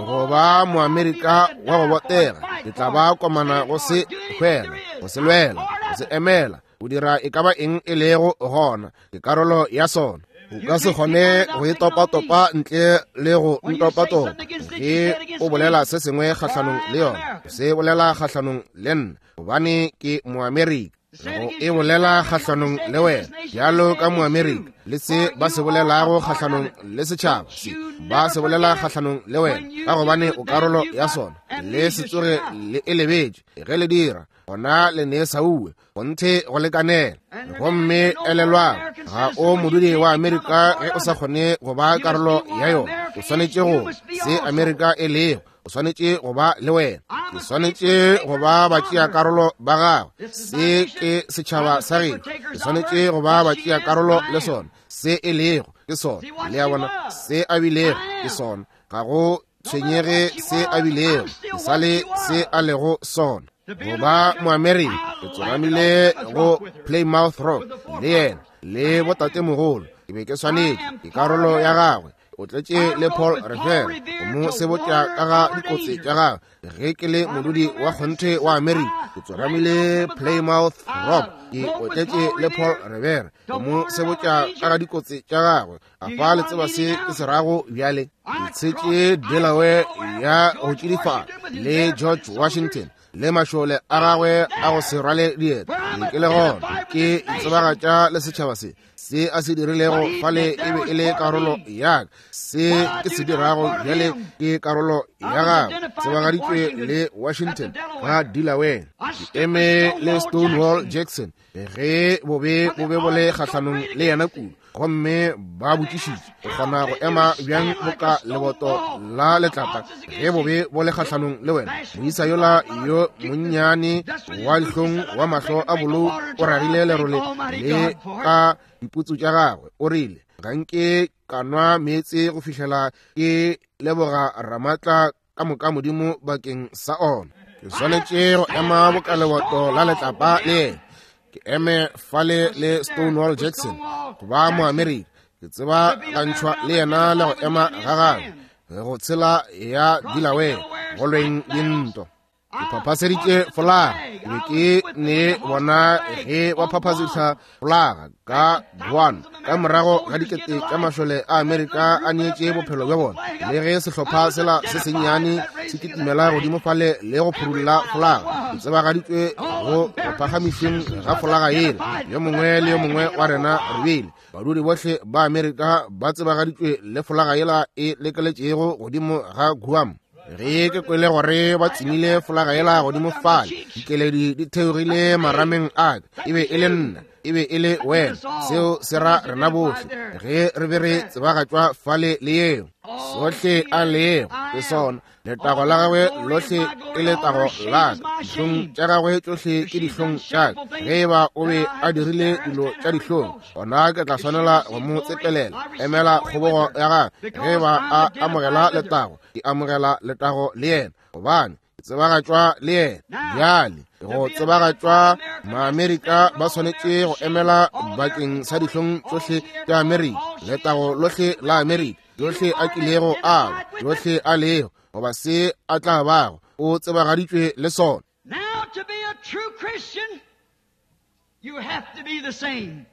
Go ba Moamerika wa go botega, ke tla ba komana go se hwela, go se lwela, go se emela, go dira e ka ba eng e lego gona, ke karolo ya sona. O ka se kgone go e topatopa ntle le go ntopatopa. Ge o bolela se sengwe kgahlanong le yona, o se bolela kgahlanong le nna, gobane ke Moamerika. Go e bolela kgahlanong le wena bjalo ka Moamerika, le se ba se bolelago kgahlanong le setšhaba se ba se bolela kgahlanong le wena, ka gobane o karolo ya sona. Le se tsoge le e lebetše. Ge le dira, gona le ne sauwe gonthe go lekanela. Gomme elelwang, ga o modudi wa Amerika ge o sa kgone go ba karolo ya yona. O swanetše go se Amerika e lego, o swanetše go ba le wena. Ke swanetše go ba batšeakarolo ba gagwe. Se ke setšhaba sa geno. Ke swanetše go ba batšeakarolo le sona. Se e lego ke sona. Le a bona, se a bilego ke sona. Ga go tshwenyege se a bilego, ke sa le se a lego sona. Go ba Moamerika, ke tsoramile go Plymouth Rock le yena le botatemogolo. Ke be ke swanetše, ke karolo ya gagwe. O tletše le Paul Revere go mo sebotša ka ga dikotsi tša gagwe. Ge ke le modudi wa kgonthe wa Amerika, ke tsoramile Plymouth Rock, ke otletše le Paul Revere go mo sebotša ka ga dikotsi tša gagwe. A fa le tseba se ke se rago bjale? Ke tshetše Delaware ya go tšidifala le George Washington le mašole a gagwe a go se rwale dieta. Ke le gona ke itsebagatša le setšhaba se. Se a se dirilego fale e be e le karolo ya ka. Se ke se dirago bjale ke karolo ya gagwe. Tsebagaditšwe le Washington ga Delaware. Ke eme le Stonewall Jackson ge bobe bo be bo le kgahlanong le yena kudu, gomme ba botšišitše o kgona go ema bjang boka leboto la letlapa ge bobe bo le kgahlanong le wena. Moisa yola yo monnyane wa dihlong wa mahlo a bolou o ragile lerole le ka diputsu tša gagwe, o rile, Ga nke ka nwa meetse go fihlela ke leboga Ramatla ka moka Modimo bakeng sa ona. Ke swanetše go ema boka leboto la letlapa le yena. Ke eme fale le Stonewall Jackson go ba Moamerika. Ke tseba gantšhwa le yena le go ema ga gagwe go tshela ya Delaware go lweng dintwa. Ke phaphaseditše folaga, ke be ke ne bona ge ba phaphasetša folaga ka Guam ka morago ga dikete tša mašole a Amerika a neetše bophelo bja bona, le ge sehlopha sela se sennyane se kitimela godimo fale le go phurulla folaga. Ke tsebagaditšwe go go phagamišeng ga folaga yela. Yo mongwe le yo mongwe wa rena re bile badudi bohle ba Amerika ba tsebagaditšwe le folaga yela e lekeletšego godimo ga Guam. Ge ke kwele gore ba tsemile folaga yela godimo fale, dikeledi di theogile marameng a ka. E be e le nna, e be e le wena. Seo se ra rena bohle ge re be re tsebagatšwa fale le yeo. Sohle a lego ke sona, letago la gagwe lohle ke letago la ka, dihlong tša gagwe tšohle ke dihlong tša ka. Ge e ba o be a dirile dilo tša dihlong, gona ke tla swanela go mo tsepelela. Emela kgobogo ya gagwe. Ge e ba a amogela letago, ke amogela letago le yena, gobane ke tsebagatšwa le yena. Bjale go tsebagatšwa, Maamerika ba swanetše go emela bakeng sa dihlong tšohle tša Amerika, letago lohle la Amerika, yohle a kilego a ba, yohle a lego, goba se a tla bago, o tsebagaditšwe le sona. Now to be a true Christian, you have to be the same.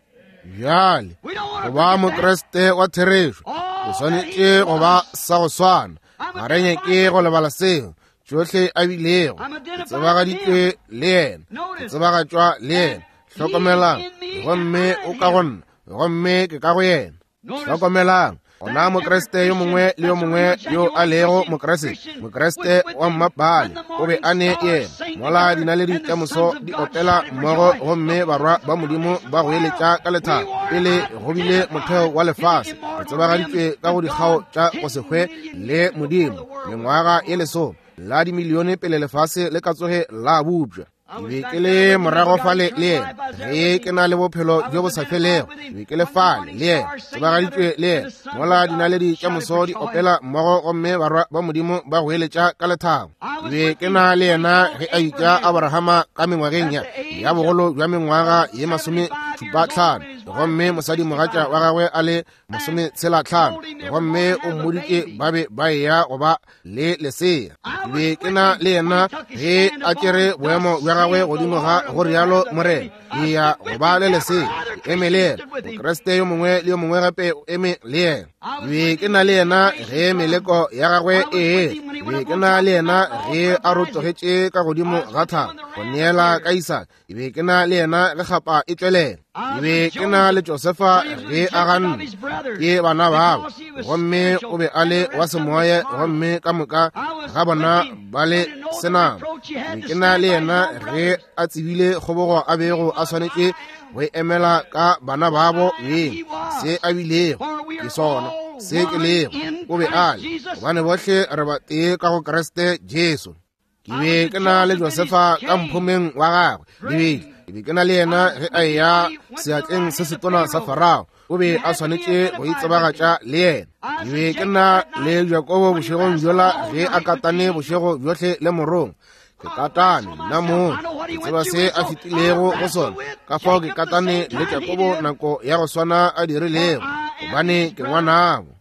Bjale go ba Mokriste wa therešo, o swanetše go ba sa go swana. Ga re nyake go lebala seo. Tšohle a bilego, ke tsebagaditšwe le yena, ke tsebagatšwa le yena. Hlokomelang, gomme o ka go nna, gomme ke ka go yena. Hlokomelang, gona Mokriste yo mongwe le yo mongwe yo a lego Mokriste, Mokriste wa mmapale, o be a ne yena. Mola dinaledi tša moso di opela mmogo gomme barwa ba Modimo ba goeletša ka lethabo, pele go bile motheo wa lefase, re tsebagaditšwe ka go dikgao tša go se hwe le Modimo, mengwaga ye lesome la dimilione pele lefase le ka tsoge la bopša. Ke be ke le morago fale le yena ge ke na le bophelo bjo bo sa felego. Ke be ke le fale le yena, tsebagaditšwe le yena, mola dinaledi tša moso di opela mmogo gomme barwa ba Modimo ba goeletša ka lethabo. Ke be ke na le yena ge a bitša Abrahama ka mengwageng ya bogolo bja mengwaga ye 75, gomme mosadimogatša wa gagwe a le 65, gomme o mmoditše ba be ba eya go ba le lesea. Ke be ke na le yena ge a tšere boemo bja gagwe godimo ga go rialo Morena, ke ya go ba le lesea. Ke eme le yena. Mokriste yo mongwe le yo mongwe gape o eme le yena. Ke be ke na le yena ge meleko ya gagwe e etla. Ke be ke na le yena ge a rotogetše ka godimo ga thaba go neela ka Isaka. Ke be ke na le yena ge kgapa e tšwelela. Ke be ke na le Josefa ge a ganne ke bana babo, gomme o be a le wa semoya, gomme ka moka ga bona ba le senama. Ke be ke na le yena ge a tsebile kgobogo a bego a swanetše go e emela ka bana babo beng. Se a bilego ke sona se ke lego, o be a le, gobane bohle re batee ka go Kriste Jesu. Ke be ke na le Josefa ka mphomeng wa gagwe dibedi. Ke be ke na le yena ge a eya seatleng se setona sa Farao. O be a swanetše go itsebagatša le yena. Ke be ke na le Jakobo bošegong bjola ge a katane bošego bjohle le morongwa. Ke katane nna mong, ke tseba se a fetilego go sona. Ka fao ke katane le Jakobo nako ya go swana a dirilego, gobane ke ngwanabo.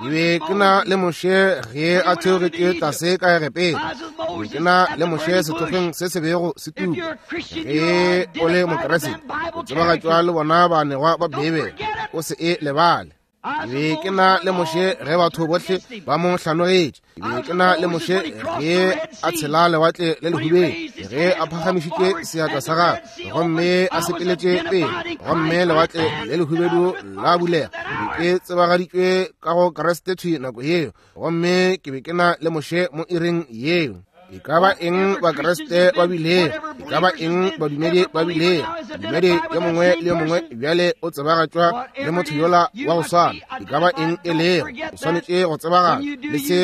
Ke be ke na le Moshe ge a theogetše tlase ka Egepeta. Ke be ke na le Moshe sethokgweng se se bego se tuka. Ge o le Mokriste, o tsebagatšwa le bona baanegwa ba Beibele. O se e lebale. Ke be ke na le Moshe ge batho bohle ba mo hlanogetše. Ke be ke na le Moshe ge a tshela lewatle le lehubeng, ge a phagamišitše seatla sa gagwe gomme a sepeletše pele, gomme lewatle le lehubedu la bulega. Ke be ke tsebagaditšwe ka go Kriste thwi nako yeo, gomme ke be ke na le Moshe mo iring yeo. E ka ba eng Bakriste ba bilego, e ka ba eng badumedi ba bilego, modumedi yo mongwe le yo mongwe bjale o tsebagatšwa le motho yola wa go swana. E ka ba eng e lego, o swanetše go tsebagatšwa le se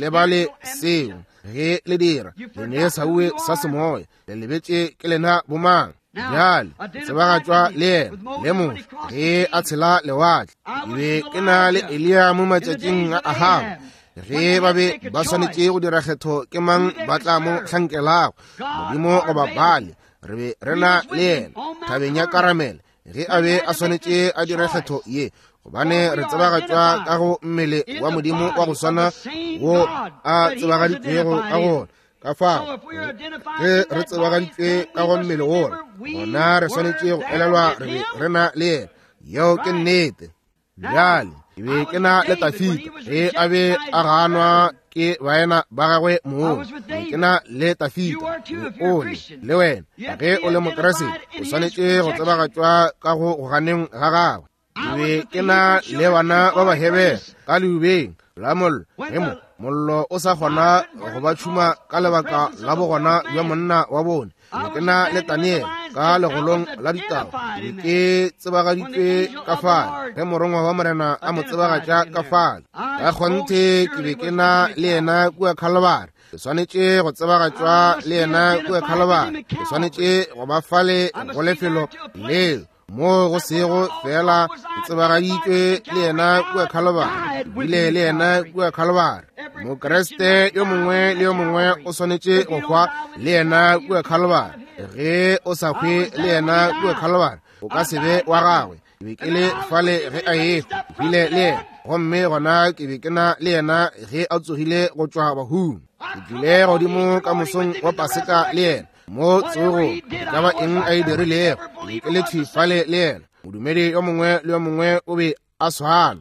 lebale seo. Ge le dira, le ne sauwe sa semoya, le lebetše ke lena bomang. Bjale tsebagatšwa le yena le Moshe ge a tshela lewatle. Ke be ke na le Eliya mo matšatšing a Ahaba, ge ba be ba swanetše go dira kgetho ke mang ba tla mo hlankelago, Modimo goba Baale. Re be re na le yena thabeng ya Karamele ge a be a swanetše a dire kgetho ye, gobane re tsebagatšwa ka go mmele wa Modimo wa go swana wo a tsebagaditšwego ka gona. Ka fao ge re tsebagaditšwe ka go mmele wola, gona re swanetše go elelwa re be re na le yena. Yeo ke nnete. Bjale ke be ke na le Tafita ge a be a ganwa ke baena ba gagwe mong. Ke be ke na le Tafita. O le le wena ge o le Mokriste, o swanetše go tsebagatšwa ka go go ganeng ga gagwe. Ke be ke na le bana ba Bahebere ka leubeng la mollo, ge mo mollo o sa kgona go ba tšhuma ka lebaka la bogona bja monna wa bone. Ke be ke na le Daniel ka legolong la ditaba. Ke be ke tsebagaditšwe ka fale ge morongwa wa Morena a mo tsebagatša ka fale. Ka kgonthe ke be ke na le yena kua Calvary. Ke swanetše go tsebagatšwa le yena kua Calvary. Ke swanetše go ba fale go lefelo leo moo go sego fela ke tsebagaditšwe le yena kua Calvary, bile le yena kua Calvary. Mokriste yo mongwe le yo mongwe o swanetše go hwa le yena kua Calvary. Ge o sa hwe le yena kua Calvary, o ka se be wa gagwe. Ke be ke le fale ge a ehwa, ke hwile le yena, gomme gona ke be ke na le yena ge a tsogile go tšwa bahung. Ke tlile godimo ka mosong wa Paseka le yena mo tsogo, e ka ba eng a e dirilego, ke be ke le thwi fale le yena. Modumedi yo mongwe le yo mongwe o be a swana.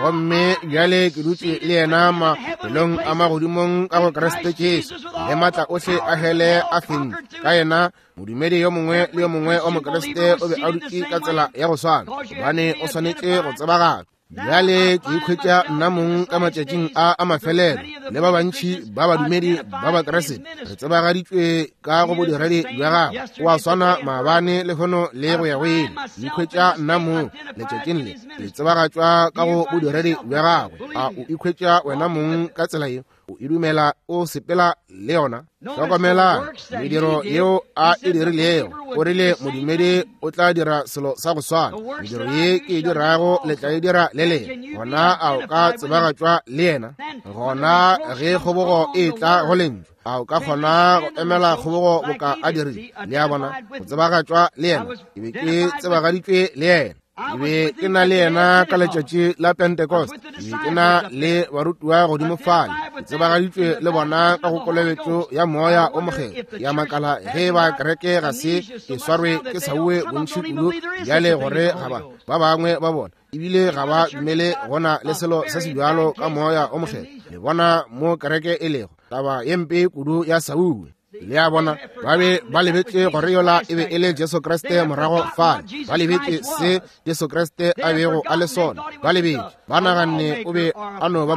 Gomme bjale ke dutše le yena mafelong a magodimong ka go Kriste Jesu, le maatla ohle a hele a fentšwe ka yena. Modumedi yo mongwe le yo mongwe wa Mokriste o be a dutše ka tsela ya go swana, gobane o swanetše go tsebagatšwa. Bjale ke ikhwetša nna mong ka matšatšing a a mafelelo le ba bantši ba badumedi ba Bakriste, re tsebagaditšwe ka go bodiredi bja gagwe. O a swana maabane, lehono le go ya go ile. Ke ikhwetša nna mong letšatšing le ke tsebagatšwa ka go bodiredi bja gagwe. A o ikhwetša wena mong ka tsela ye? O e dumela, o sepela le yona. Hlokomela mediro yeo a e dirilego. O rile modumedi o tla dira selo sa go swana. Mediro ye ke e dirago le tla e dira le lena. Gona a o ka tsebagatšwa le yena? Gona ge kgobogo e tla go lentšu, a o ka kgona go emela kgobogo boka a dirile? Le a bona, go tsebagatšwa le yena. Ke be ke tsebagaditšwe le yena. Ke be ke na le yena ka letšatši la Pentecost. Ke be ke na le barutiwa godimo fale, ke tsebagaditšwe le bona ka go kolobetšo ya Moya o Mokgethwa. Ya makala ge ba kereke ga se ke swarwe ke sauwe bontši kudu bjale gore ga ba ba bangwe ba bona ebile ga ba dumele gona le selo se se bjalo ka Moya o Mokgethwa. Le bona mo kereke e lego taba ye mpe kudu ya sauwe. Le a bona, ba be ba lebetše gore yola e be e le Jesu Kriste morago fale. Ba lebetše se Jesu Kriste a bego a le sona. Ba lebetše, ba naganne o be a no ba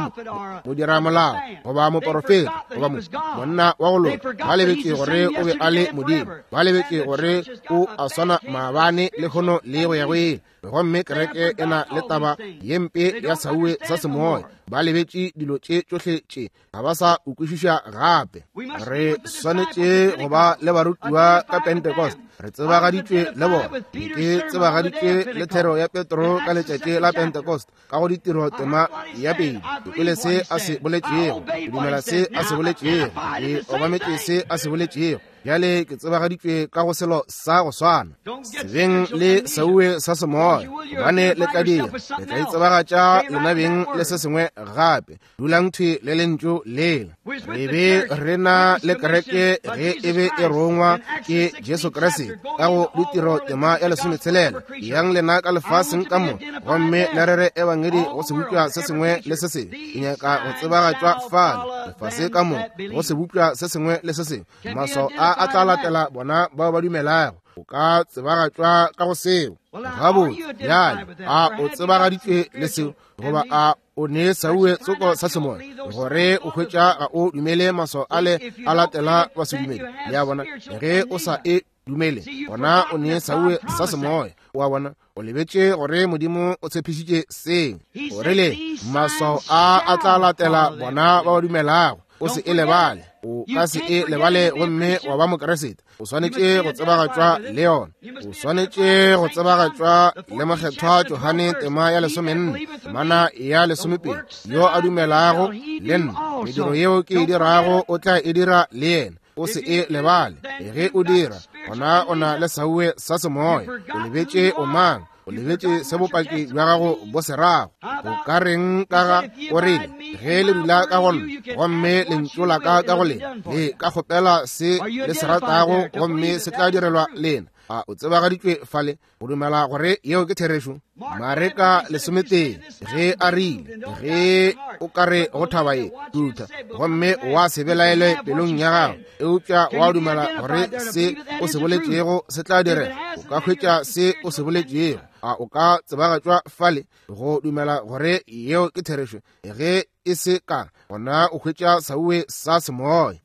modiramolao goba moporofeta goba monna wa go loka. Ba lebetše gore o be a le Modimo. Ba lebetše gore o a swana maabane, lehono le go ya go ile. Gomme kereke e na le taba ye mpe ya sauwe sa semoya. Ba lebetše dilo tše tšohle tše, ga ba sa ukwešiša gape. Re swanetše go ba le barutiwa ka Pentecost. Re tsebagaditšwe le bona. Ke tsebagaditšwe le thero ya Petro ka letšatši la Pentecost ka go ditiro tema ya pele. Ke kwele se a se boletšego, ke dumela se a se boletšego, ke obametše se a se boletšego. Bjale ke tsebagaditšwe ka go selo sa go swana. Se beng le sauwe sa semoya, gobane le tla dira, le tla itsebagatša lena beng le se sengwe gape. Dulang thwi le lentšu lela. Re be re na le kereke ge e be e rongwa ke Jesu Kriste ka go ditiro tema ya 16. Yang lena ka lefaseng ka mo gomme le rere ebangedi go sebopša se sengwe le se sengwe. Ke nyaka go tsebagatšwa fale lefase ka mo go sebopša se sengwe le se sengwe. Maswao a a tla latela bona bao ba dumelago. O ka tsebagatšwa ka go seo. Gabotse, bjale a o tsebagaditšwe le seo goba a o ne sauwe tsoko sa semoya gore o hwetša ga o dumele maswao ale a latela basedumele. Le a bona, ge o sa e dumele gona o ne sauwe sa semoya. Wa bona, o lebetše gore Modimo o tshepišitše seo. O rile maswao a a tla latela bona ba ba dumelago. O se e lebale, o ka se e lebale gomme wa ba Mokeresete. O swanetše go tsebagatšwa le yona. O swanetše go tsebagatšwa le Mokgethwa Johane tema ya 14 temana ya 12, yo a dumelago le nna, mediro yeo ke e dirago o tla e dira le yena. O se e lebale. Ge o dira, gona o na le sauwe sa semoya. O lebetše o mang, o lebetše se bopaki bja gago bo se rago. O ka reng ka ga o rile, ge le dula ka go nna gomme lentšu la ka ka go lena, le ka kgopela se le se ratago gomme se tla direlwa lena. A o tsebagaditšwe fale go dumela gore yeo ke therešo? Mareka 11 ge a rile, ge o ka re go thaba ye tutha gomme wa se belaele pelong ya gago, eupša wa dumela gore se o se boletšego se tla direga, o ka hwetša se o se boletšego. A o ka tsebagatšwa fale go dumela gore yeo ke therešo? Ge e se ka, gona o hwetša sauwe sa semoya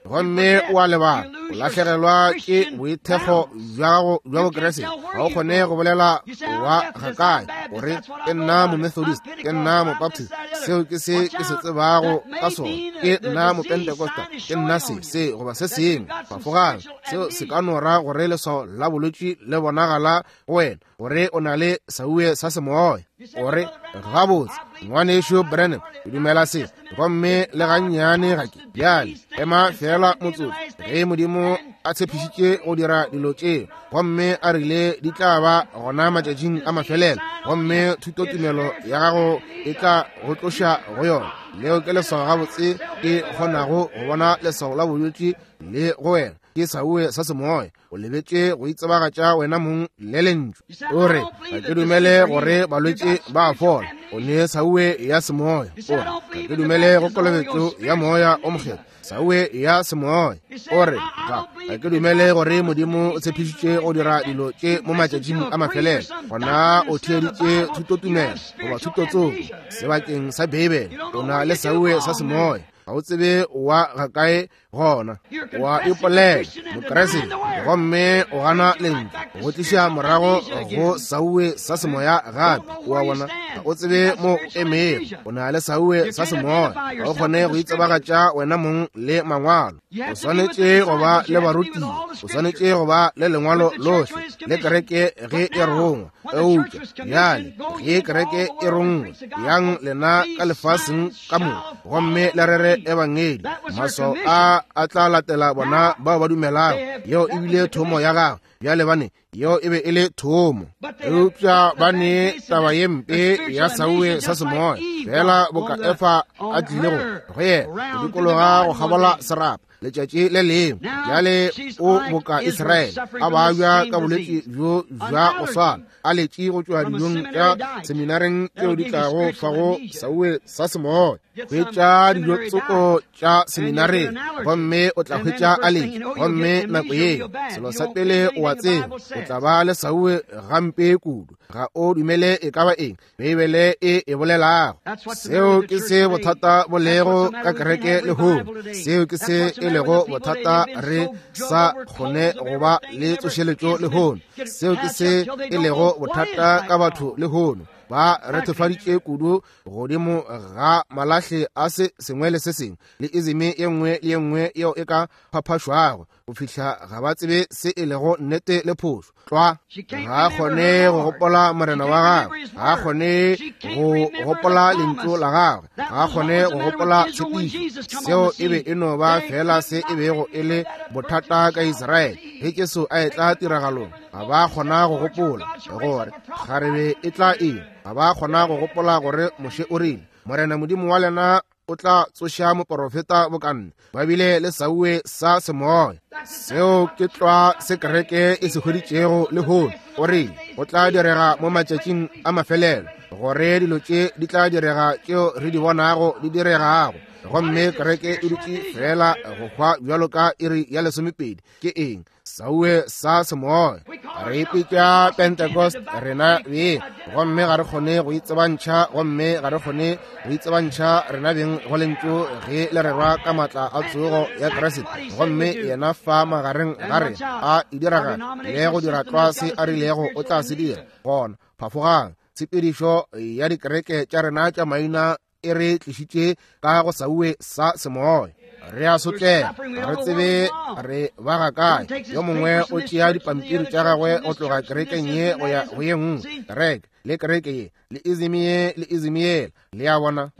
gomme o a lebala, o lahlegelwa ke boithekgo bja gago bja Bokriste. Ga o kgone go bolela wa ga kae gore ke nna Momethodist, ke nna Mobaptist, seo ke se ke se tsebago ka sona, ke nna Mopentecosta, ke nna se se goba se sengwe. Fafogang, seo se ka no ra gore leswao la bolwetši le bonagala go wena gore o na le sauwe sa semoya. O re, gabotse, ngwanešu Branham, ke dumela se, gomme le gannyane ga ke. Bjale ema fela motsotso. Ge Modimo a tshepišitše go dira dilo tšeo gomme a rile di tla ba gona matšatšing a mafelelo, gomme thutotumelo ya gago e tla go tloša go yona, leo ke leswao gabotse ke kgonago go bona leswao la bolwetši le go wena, ke sauwe sa semoya. O lebetše go itsebagatša wena mong le lentšu. O re, ga ke dumele gore balwetši ba a fola. O ne sauwe ya semoya. O re, ga ke dumele go kolobetšo ya moya o mokgethwa. Sauwe ya semoya. O re, ga ke dumele gore Modimo o tshepišitše go dira dilo tše mo matšatšing a mafelelo. Gona o theeditše thutotumelo goba thutotsoko sebakeng sa Beibele. O na le sauwe sa semoya. Ga o tsebe wa ga kae gona. Wa ipolela Mokriste gomme o gana lentšu go tliša morago go sauwe sa semoya gape. Wa bona, ga o tsebe mo o emego. O na le sauwe sa semoya. Ga o kgone go itsebagatša wena mong le mangwalo. O swanetše go ba le barutiwa, o swanetše go ba le lengwalo lohle le kereke ge e rongwa. Eupša bjale ge kereke e rongwe, yang lena ka lefaseng ka mo gomme le rere ebangedi, maswao a a tla latela bona bao ba dumelago. Yeo e bile thomo ya gagwe. Bjale bane, yeo e be e le thomo. Eupša ba ne taba ye mpe ya sauwe sa semoya, fela boka Efa a tlile go yena go dikologa go kgabola serapa letšatši le lengwe. Bjale o boka Israele a babja ka bolwetši bjo bja go swana, a letše go tšwa dijong tša seminareng tšeo di tlago fago sauwe sa semoya. Hwetša dijo tsoko tša seminareng, gomme o tla hwetša aletši. Gomme nako yeo, selo sa pele o a tseba, o tla ba le sauwe gampe kudu. Ga o dumele e ka ba eng Beibele e e bolelago. Seo ke se bothata bo lego ka kereke lehono. Seo ke se e lego bothata re sa kgone go ba le tsošeletšo lehono. Seo ke se e lego bothata ka batho lehono. Ba rethefaditše kudu godimo ga malahle a se sengwe le se sengwe le izime ye nngwe le ye nngwe yeo e ka phaphašwago, go fihla ga ba tsebe se e lego nnete le phošo. Tlwa, ga a kgone go gopola Morena wa gagwe, ga a kgone go gopola lentšu la gagwe, ga a kgone go gopola tshepišo. Seo e be e no ba fela se e bego e le bothata ka Israele ge Jesu a etla tiragalong. Ga ba kgona go gopola gore kgarebe e tla eng, ga ba kgona go gopola gore Moshe o rile, Morena Modimo wa lena o tla tsoša moporofeta bokanne. Ba bile le sauwe sa semoya. Seo ke tlwa se kereke e se hweditšego lehono. O rile go tla direga mo matšatšing a mafelelo gore dilo tše di tla direga tšeo re di bonago di diregago, gomme kereke e dutše fela go hwa bjalo ka iri ya 12. Ke eng? Sauwe sa semoya. Re ipitša Pentecost rena beng, gomme ga re kgone go itsebantšha, gomme ga re kgone go itsebantšha rena beng go lentšu ge le rerwa ka maatla a tsogo ya Kriste, gomme yena fa magareng ga rena a e diragala le go dira tlwa se a rilego o tla se dira. Gona phafogang, tshepedišo ya dikereke tša rena tša maina e re tlišitše ka go sauwe sa semoya. Re a sotlega, re tsebe re ba ga kae. Yo mongwe o tšea dipampiri tša gagwe go tloga kerekeng ye go ya go ye nngwe, kereke le kereke ye, le izimi ye le izimi yela. Le a bona,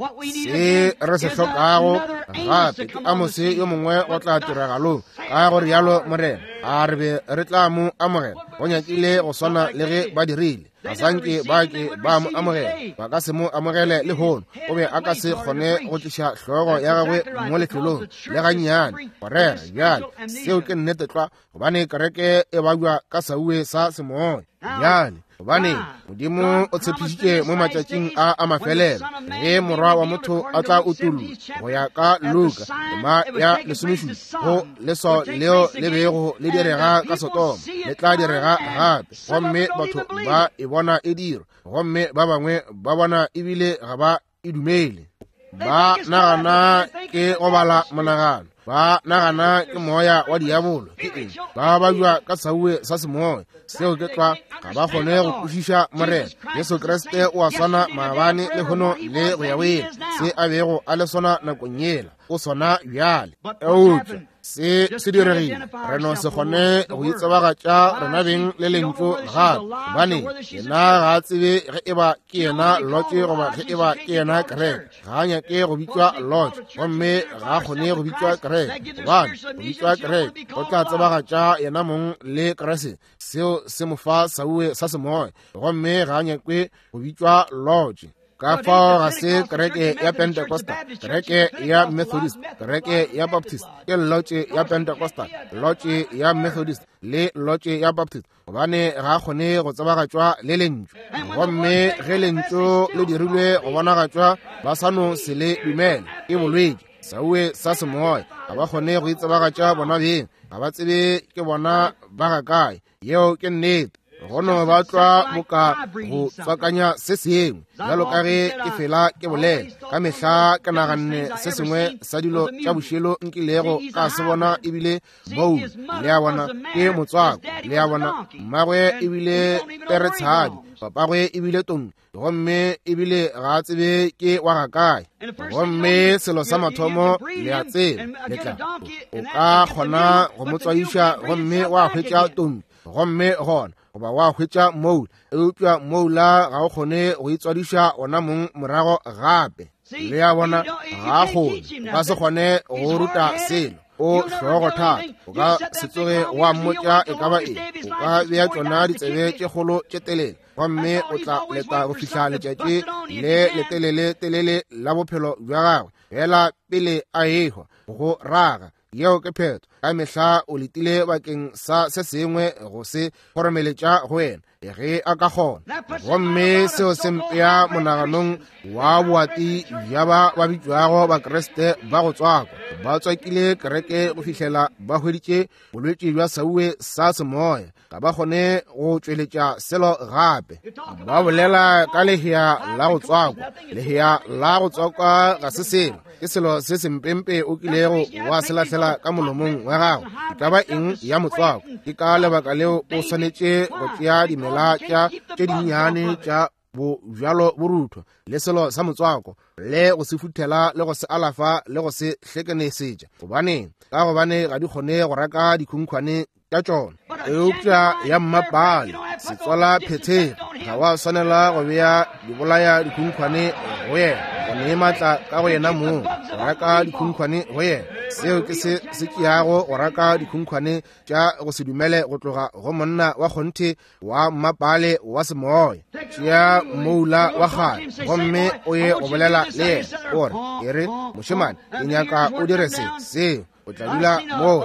se re se hlokago gape ke Amose yo mongwe go tla tiragalong. Ka go rialo Morena a re be re tla mo amogela, go nyakile go swana le ge ba dirile. Ga sanke ba ke ba mo amogela, ba ka se mo amogele lehono. O be a ka se kgone go tliša hlogo ya gagwe mo lefelong le gannyane go rera bjale. Seo ke nnete tlwa, gobane kereke e babja ka sauwe sa semoya bjale. Gobane Modimo o tshepišitše mo matšatšing a a mafelelo ge Morwa wa motho a tla utollwa, go ya ka Luka tema ya 17, go leswao leo le bego le direga ka Sodoma le tla direga gape, gomme batho ba e bona e dirwa, gomme ba bangwe ba bona ebile ga ba e dumele. Ba nagana ke go bala monagano, ba nagana ke moya wa diabolo. Ke eng? Ba babjwa ka sauwe sa semoya. Seo ke tlwa, ga ba kgone go kwešiša Morena Jesu Kriste o a swana maabane lehono le go ya go ile. Se a bego a le sona nakong yela, o sona bjale. Eupša se se diregile, re no se kgone go itsebagatša rena beng le lentšu gape, gobane yena ga a tsebe ge e ba ke yena lotše goba ge e ba ke yena kereke. Ga a nyake go bitšwa lotše, gomme ga a kgone go bitšwa kereke, gobane go bitšwa kereke go tla tsebagatša yena mong le Kriste. Seo se mo fa sauwe sa semoya, gomme ga a nyake go bitšwa lotše. Ka fao ga se kereke ya Pentecostal, kereke ya Methodist, kereke ya Baptist, ke lotše ya Pentecostal, lotše ya Methodist le lotše ya Baptist, gobane ga a kgone go tsebagatšwa le lentšu. Gomme ge lentšu le dirilwe go bonagatšwa, ba sa no se le dumele. Ke bolwetši, sauwe sa semoya. Ga ba kgone go itsebagatša bona beng, ga ba tsebe ke bona ba ga kae. Yeo ke nnete. Go no ba tlwa boka go tswakanya se sengwe, bjalo ka ge ke fela ke bolela ka mehla. Ke naganne se sengwe sa dilo tša bošelo nkilego ka se bona ebile boulu. Le a bona, ke motswako. Le a bona, mmagwe ebile peretshadi, papagwe ebile tonki, gomme ebile ga a tsebe ke wa ga kae. Gomme selo sa mathomo le a tseba, le tla o ka kgona go mo tswaiša gomme wa hwetša tonki, gomme gona goba wa hwetša moula, eupša moula ga o kgone go itswadiša ona mong morago gape. Le a bona, ga a kgone, o ka se kgone go ruta selo. O hlogo thata, o ka se tsoge wa mmotša e ka ba eng. O ka bea tšona ditsebe tše kgolo tše telele, gomme o tla leta go fihla letšatši le letelele telele la bophelo bja gagwe, fela pele a ehwa go raga. Yeo ke phetho. Ka mehla o letile bakeng sa se sengwe go se kgoromeletša go wena ge a ka kgona. Gomme seo se mpea monaganong wa boati bja ba ba bitšwago Bakriste ba go tswakwa. Ba tswakile kereke go fihlela ba hweditše bolwetši bja sauwe sa semoya, ga ba kgone go tšweletša selo gape. Ba bolela ka lehea la go tswakwa. Lehea la go tswakwa ga se selo, ke selo se sempempe o kilego wa se lahlela ka molomong wa gago. E ka ba eng ya motswako? Ke ka lebaka leo o swanetše go tšea dimela tša tše dinnyane tša bojalo borutho le selo sa motswako le go se futhela le go se alafa le go se hlekenesetša. Gobaneng? Ka gobane ga di kgone go raka dikhunkhwane tša tšona. Eupša ya mmapale setswala phethego, ga wa swanela go bea dibolaya dikhunkhwane go yena, go ne maatla ka go yena mong go raka dikhunkhwane go yena. Seo ke se se tšeago go raka dikhunkhwane tša go se dumele go tloga go monna wa kgonthe wa mmapale wa semoya. Tšea moula wa kgale gomme o ye go bolela le yena, o re, e re, mošemane, ke nyaka o dire se seo. O tla dula moo.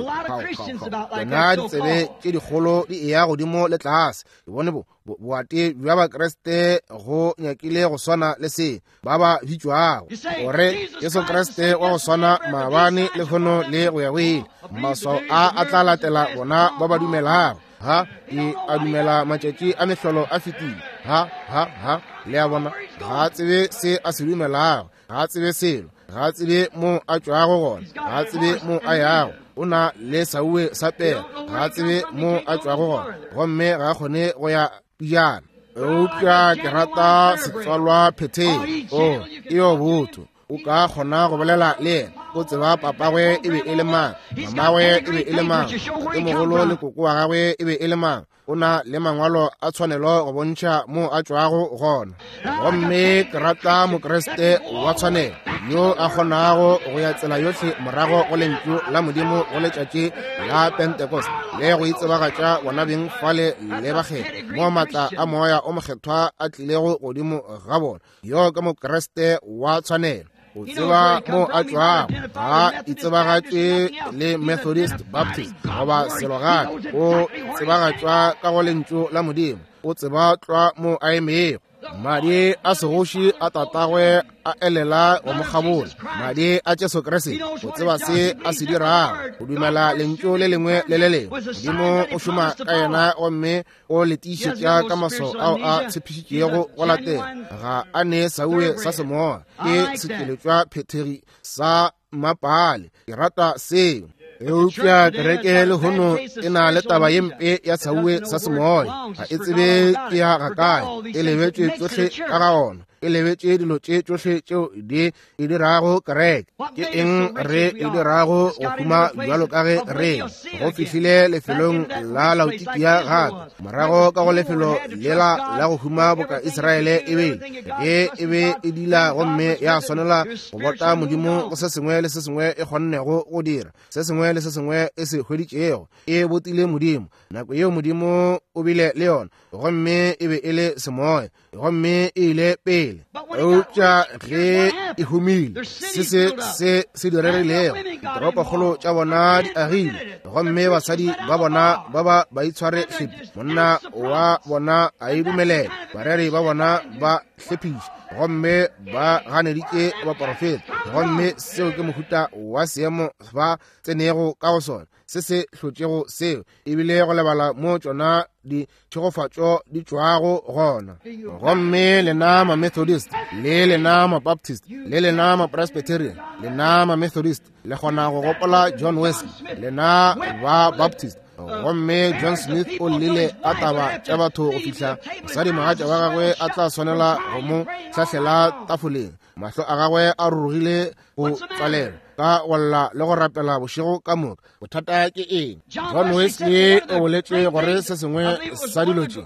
Tsona ditsebe tše dikgolo di eya godimo le tlase. Ke bone boate bja Bakriste go nyakile go swana le se ba ba bitšwago gore Jesu Kriste wa go swana maabane lehono le go ya go ile. Maswao a a tla latela bona ba ba dumelago. Ha ke a dumela matšatši a mehlolo a fetile. Ha, ha, ha. Le a bona, ga a tsebe se a se dumelago, ga a tsebe selo, ga a tsebe mo a tšwago gona, ga a tsebe mo a yago. O na le sauwe sa pela, ga a tsebe mo a tšwago gona, gomme ga a kgone go ya pijana. Eupša ke rata setswalwa phetheng. O, e yo botho. O ka kgona go bolela le yena. O tseba papagwe e be e le mang, mamagwe e be e le mang, tatemogolo le koko wa gagwe e be e le mang. O na le mangwalo a tshwanelo go bontšha mo a tšwago gona. Gomme ke rata Mokriste wa tshwanelo yo a kgonago go ya tsela yohle morago go lentšu la Modimo go letšatši la Pentecost le go itsebagatša bona beng fale le bakgethwa mo maatla a Moya o Mokgethwa a tlilego godimo ga bona. Yo ke Mokriste wa tshwanelo. O tseba mo a tšwago, ga itsebagatše le Methodist, Baptist goba selo gape. O tsebagatšwa ka go lentšu la Modimo. O tseba tlwa mo a emego. Madi a segoši a tatagwe a elela go mo kgabola. Madi a Jesu Kriste, o tseba se a se dirago. O dumela lentšu le lengwe le le lengwe. Modimo o šoma ka yena gomme o le tiišetša ka maswao ao a tshepišitšego go latela. Ga a ne sauwe sa semoya, ke setšweletšwa phethegi sa mmapale. Ke rata seo. Eupša kereke lehono e na le taba ye mpe ya sauwe sa semoya. Ga e tsebe ke ya ga kae, e lebetše tšohle ka ga ona, e lebetše dilo tše tšohle tšeo di e dirago kereke. Ke eng re e dirago go huma bjalo ka ge re go fihlile lefelong la Laodikia gape, morago ka go lefelo lela la go huma boka Israele e bile, ge e be e dila gomme ya swanela go bota Modimo go se sengwe le se sengwe e kgonnego go dira, se sengwe le se sengwe e se hweditšego, e botile Modimo. Nako yeo Modimo o bile le yona, gomme e be e le semoya, gomme e ile pele. Eupša ge e humile, se se se se diregilego, ditoropokgolo tša bona di agile, gomme basadi ba bona ba ba ba itshware hlepi, monna wa bona a e dumelela, bareri ba bona ba hlephiša, gomme ba ganeditše baporofeta. Gomme seo ke mohuta wa seemo ba tsenego ka go sona, se se hlotšego seo, ebile go lebala mo tšona ditšhegofatšo di tšwago gona. Gomme lena ma-Methodist, le lena ma-Baptist, le lena ma-Presbyterian, lena ma-Methodist, le kgona go gopola John Wesley, lena ba Baptist. Gomme John Smith o llile ka taba tša batho go fihla mosadi mogatša wa gagwe a tla swanela go mo hlahlela tafoleng, mahlo a gagwe a rurugile go tswalela ka go lla le go rapela bošego ka moka. Bothata ke eng? John Wesley o boletše gore se sengwe sa dilo tše,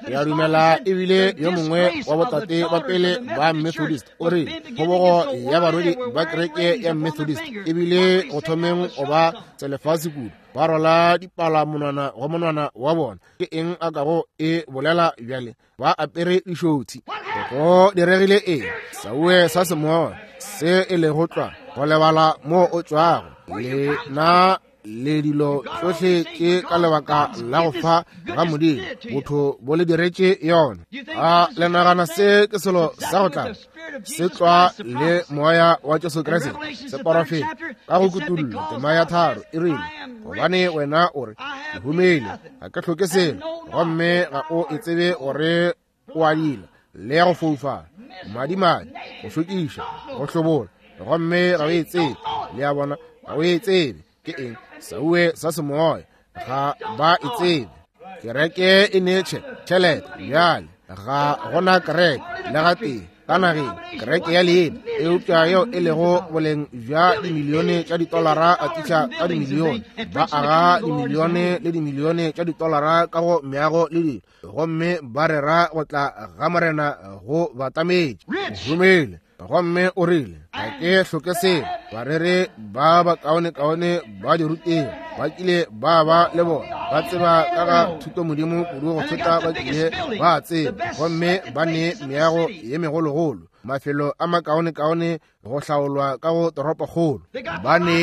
ke a dumela ebile yo mongwe wa botate ba pele ba Methodist, o re kgobogo ya barwedi ba kereke ya Methodist ebile go thomeng go ba tselefase kudu, ba rwala dipala monwana go monwana wa bona. Ke eng a kago e bolela bjale? Ba apere dišothi. Go diregile eng? Sauwe sa semoya se e lego tlwa go lebala mo o tšwago. Lena le dilo tšohle tše ka lebaka la go fa ga Modimo. Botho bo le diretše yona. A le nagana se ke selo sa go tla se tlwa le moya wa Jesu Kriste se porofeta ka go kutullo tema ya 3 e rile, gobane wena o re, ke humile, ga ke hloke selo, gomme ga o e tsebe gore o a dila le ya go foufala, madimadi, go šokiša, go hlobola, gomme ga o e tsebe. Le a bona, ga o e tsebe ke eng, sauwe sa semoya, ga ba e tsebe. Kereke e ne tšhelete bjale, ga gona kereke le gatee ka nageng, kereke ya leina, eupša yeo e lego boleng bja dimilione tša ditolara a tliša ka dimilione, ba aga dimilione le dimilione tša ditolara ka go meago le dilo, gomme ba rera go tla ga Morena go batametše. Humile, gomme o rile, ga ke hloke selo. Barere ba bakaonekaone ba diruteng ba kile ba ba le bona, ba tseba ka ga thuto Modimo kudu go feta ba kile ba tseba, gomme ba ne meago ye megologolo, mafelo a makaonekaone go hlaolwa ka go toropokgolo, ba ne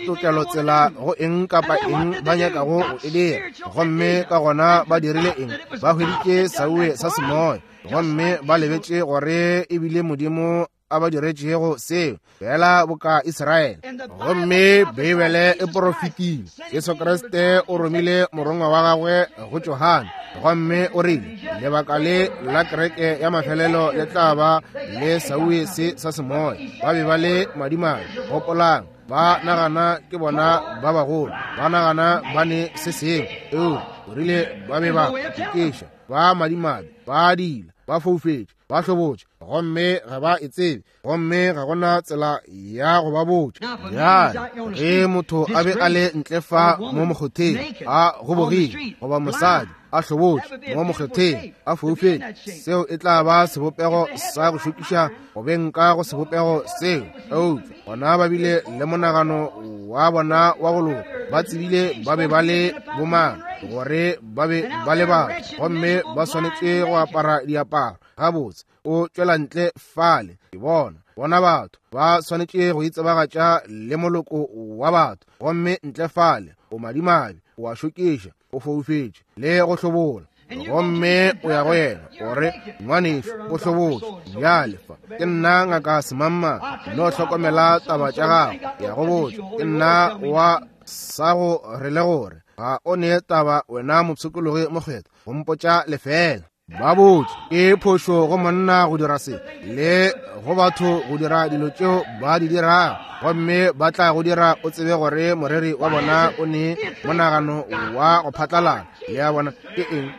tokelo tsela go eng kapa eng ba nyakago go e dira. Gomme ka gona ba dirile eng? Ba hweditše sauwe sa semoya, gomme ba lebetše gore ebile Modimo a ba diretšego seo, fela boka Israele. Gomme Beibele e porofetile, Jesu Kriste o romile morongwa wa gagwe go Johane, gomme o rile, lebaka le la kereke ya mafelelo le tla ba le sauwe se sa semoya. Ba be ba le madimadi, gopolang, ba nagana ke bona ba bagolo, ba nagana ba ne se sengwe, eo o rile ba be ba ikeša, ba madimadi, ba dila, ba foufetše, ba hlobotše, gomme ga ba e tsebe, gomme ga gona tsela ya go ba botša. Bjale ge motho a be a le ntle fa mo mokgotheng a gobogile, goba mosadi a hlobotše mo mokgotheng a foufetše, seo e tla ba sebopego sa go šokiša go beng ka go sebopego seo. Eupša bona ba bile le monagano wa bona wa go loka, ba tsebile ba be ba le bomang, gore ba be ba le batho, gomme ba swanetše go apara diaparo gabotse. O tšwela ntle fale, ke bona bona batho ba swanetše go itsebagatša le moloko wa batho, gomme ntle fale o madimabe, o a šokiša, o foufetše le go hlobola, gomme o ya go yena o re, ngwanešu o hlobotše, bjale fa ke nna ngaka semangmang, no hlokomela taba tša gago, ke ya go botša, ke nna wa sa go re le gore ga o ne taba wena mopshikologi mokgethwa go mpotša lefela. Ba botše ke phošo go monna go dira se, le go batho go dira dilo tšeo ba di dirago, gomme ba tla go dira o tsebe gore moreri wa bona o ne monagano wa go phatlalala. Le a bona ke eng?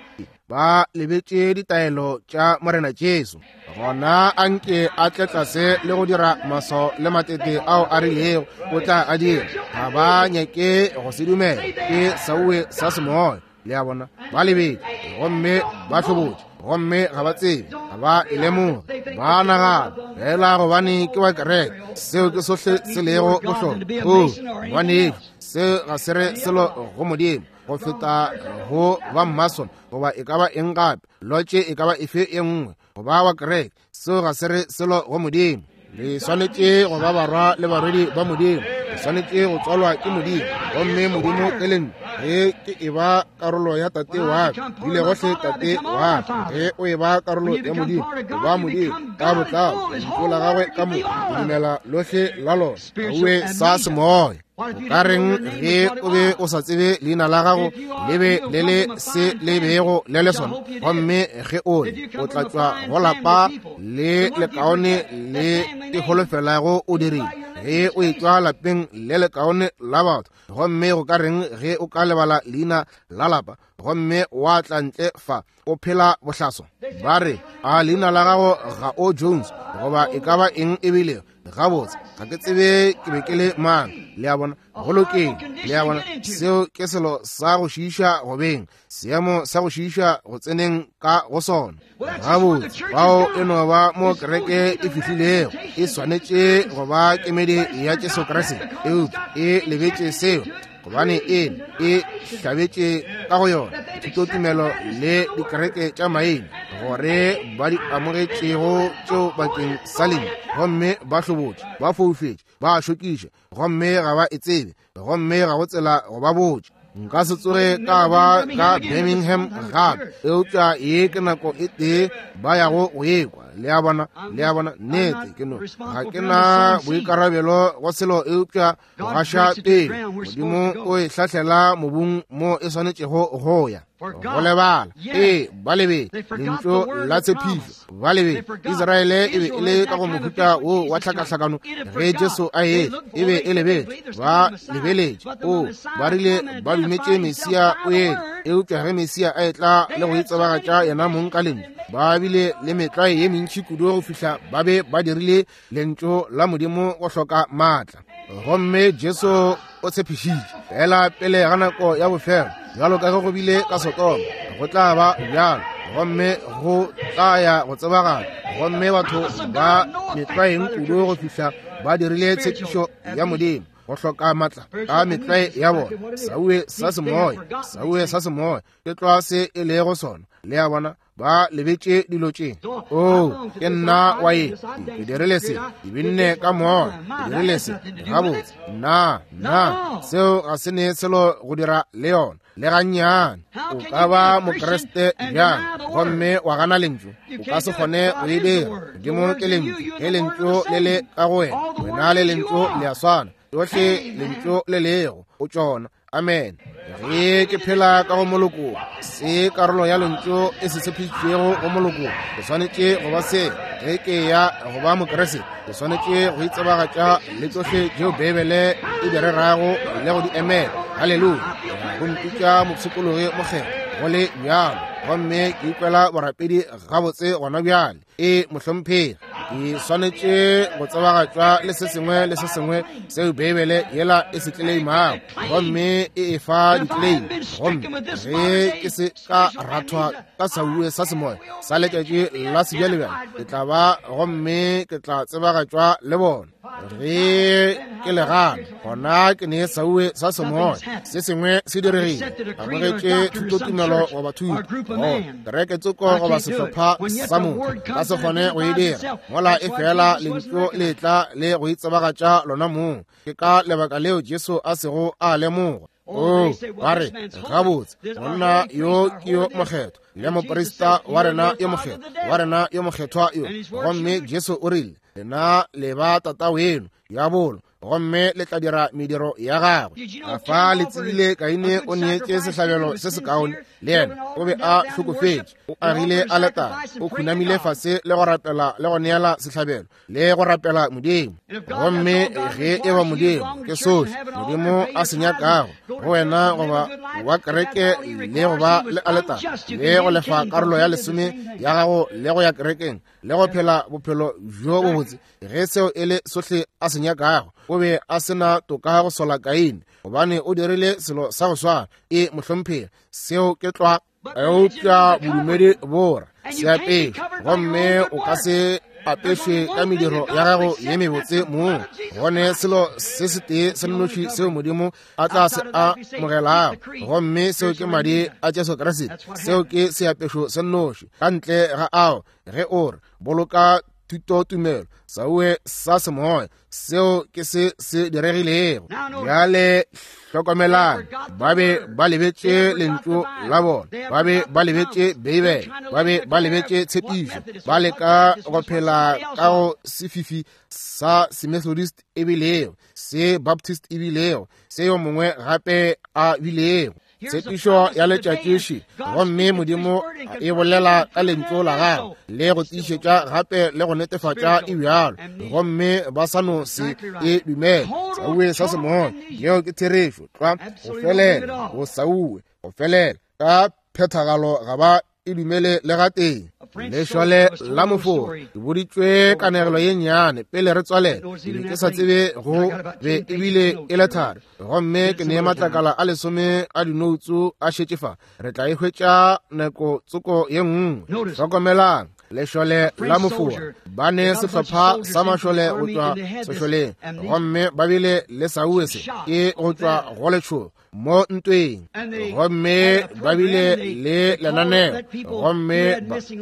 Ba lebetše ditaelo tša Morena Jesu. Gona a nke a tle tlase le go dira maso le matete ao a rilego o tla a dira. Ga ba nyake go se dumela, ke sauwe sa semoya. Le a bona, ba lebetše gomme ba hlobotše, gomme ga ba tsebe, ga ba e lemoge, ba nagana fela gobane ke wa kereke, seo ke sohle se lego bohlokwa. O ngwanešu, seo ga se re selo go Modimo go feta go ba Mason goba e ka ba eng gape, lotše e ka ba efe e nngwe, go ba wa kereke, seo ga se re selo go Modimo. Le swanetše go ba barwa le barwedi ba Modimo, le swanetše go tswalwa ke Modimo, gomme Modimo ke lentšu. Ge ke e ba karolo ya tate wa ka, bile gohle tate wa ka, ge o e ba karolo ya Modimo, o ba Modimo ka botlalo, lentšu la gagwe ka moka, o dumela lohle la lona, auwe sa semoya. O ka reng ge o be o sa tsebe leina la gago le be le le se le bego le le sona, gomme ge o le o tla tšwa go lapa le lekaone le ke holofelago o dirile, ge o etšwa lapeng le lekaone la batho, gomme go ka reng ge o ka lebala leina la lapa gomme wa tla ntle fa o phela bohlaso? Ba re, a leina la gago ga o Jones goba e ka ba eng ebile? Gabotse, ga ke tsebe ke be ke le mang. Le a bona, go lokile. Le a bona, seo ke selo sa go šiiša go beng, seemo sa go šiiša go tseneng ka go sona. Gabotse, bao e no ba mo kereke e fihlilego, e swanetše go ba kemedi ya Jesu Kriste, eupša e lebetše seo, gobane e e hlabetše ka go yona thutotumelo le dikereke tša maina gore ba di amogetšego tšeo bakeng sa lentšu, gomme ba hlobotše, ba foufetše, Ba a šokiša, gomme ga ba e tsebe, gomme ga go tsela go ba botša. Nka se tsoge ka ba ka Birmingham gape, eupša ye ke nako e tee ba yago go ekwa. Le a bona, le a bona, nnete ke no ga ke na boikarabelo go selo eupša go gaša pele. Modimo o e hlahlela mobung mo e swanetšego go ya. Go lebala, ee, ba lebetše lentšu la tshepišo, ba lebetše. Israele e be e le ka go mohuta wo wa tlhakahlakano ge Jesu a etla, e be e lebetše, ba lebeletše. O, ba rile ba dumetše Mesia o etla, eupša ge Mesia a etla le go itsebagatša yena mong ka lentšu, ba bile le metlwae ye mentši kudu go fihla ba be ba dirile lentšu la Modimo go hloka maatla. Gomme Jesu o tshepišitše fela pele ga nako ya bofelo, bjalo ka ge go bile ka Sodoma, go tla ba bjalo, gomme go tla ya go tsebagala. Gomme batho ba metlwaeng kudu go fihla ba dirile tshepišo ya Modimo go hloka maatla ka metlwae ya bona. Sauwe sa semoya, sauwe sa semoya ke tlwa se e lego sona. Le a bona, ba lebetše dilo tše. Oo, ke nna wa ye, ke dirile se, ke binne ka moya, ke dirile se, gabotse. Nna, nna, seo ga se ne selo go dira le yona, le gannyane. O ka ba Mokriste bjang gomme wa gana lentšu? O ka se kgone go e dira. Modimo ke lentšu. Ge lentšu le le ka go wena, wena le lentšu le a swana. Tšohle lentšu le lego o tšona. Amen. Ge ke phela ka go moloko, se karolo ya lentšu e se tshepišitšwego go moloko, ke swanetše go ba se. Ge ke ya go ba Mokriste, ke swanetše go itsebagatša le tšohle tšeo Beibele e di rerago le go di emela. Haleluya. Go mpitša mopshikologi mokgethwa, go le bjalo, gomme ke ikwela borapedi gabotse gona bjale. E mohlomphegi, ke swanetše go tsebagatšwa le se sengwe le se sengwe seo Beibele yela e se tleleimago, gomme e e fa ditleime. Gomme ge ke se ka rathwa ka sauwe sa semoya sa letšatši la sebjalebjale, ke tla ba gomme ke tla tsebagatšwa le bona. Ge ke le gana, gona ke ne sauwe sa semoya. Se sengwe se diregile. Amogetše thutotumelo goba thuto, kereke tsoko goba sehlopha sa motho, ka se kgone go e dira mola e fela lentšu le tla le go itsebagatša lona mong. Ke ka lebaka leo Jesu a sego a lemogwa. Oo, ba re, gabotse, monna yo ke yo mokgethwa, le moprista wa rena yo mokgethwa, wa rena yo mokgethwa yo. Gomme Jesu o rile, lena le ba tata weno diabolo, gomme le tla dira mediro ya gagwe. A fa le tsebile Kaine o neetše sehlabelo se sekaone, le yena o be a hlokofetše, o agile aletare, o khunamile fase le go rapela le go neela sehlabelo le go rapela Modimo. Gomme ge e ba Modimo ke sohle Modimo a se nyakago go wena goba wa kereke le go ba le aletare le go lefa karolo ya lesome ya gago le go ya kerekeng le go phela bophelo bjo bobotse, ge seo e le sohle a se nyakago, o be a se na toka go sola Kaine, gobane o dirile selo sa go swana. E mohlomphegi, seo ke tlwa. Eupša bodumedi bora seapešo, gomme o ka se apešwe ka mediro ya gago ye mebotse mong. Gone selo se setee se nnoši seo Modimo a tla se amogelago, gomme seo ke madi a Jesu Kriste. Seo ke seapešo se nnoši. Ka ntle ga ao, ge o re boloka thutotumelo sauwe sa semoya, seo ke se se diregilego. Bjale hlokomelang, ba be ba lebetše lentšu la bona, ba be ba lebetše Beibele, ba be ba lebetše tshepišo, ba leka go phela ka go sefifi sa Semethodist e bilego, se Baptist e bilego, se yo mongwe gape a bilego. Tshepišo ya letšatši, gomme Modimo e bolela ka lentšu la gagwe le go tiišetša gape le go netefatša e bjalo, gomme ba sa no se e dumele. Sauwe sa semoya, yeo ke therešo tlwa, go felela, go sauwe, go felela ka phethagalo, ga ba e dumele le gatee. Lešole la moforo, ke boditšwe kanegelo ye nnyane pele re tswalela. Ke be ke sa tsebe go be ebile e le thari, gomme ke ne matlakala a lesome a dinoutsu a šetše fa. Re tla e hwetša nako tsoko ye nngwe. Hlokomelang. Lešole la Mofora ba ne sehlopha sa mašole go tšwa sešoleng, gomme ba bile le sauese ke go tšwa go letšhogo mo ntweng, gomme ba bile le lenaneo, gomme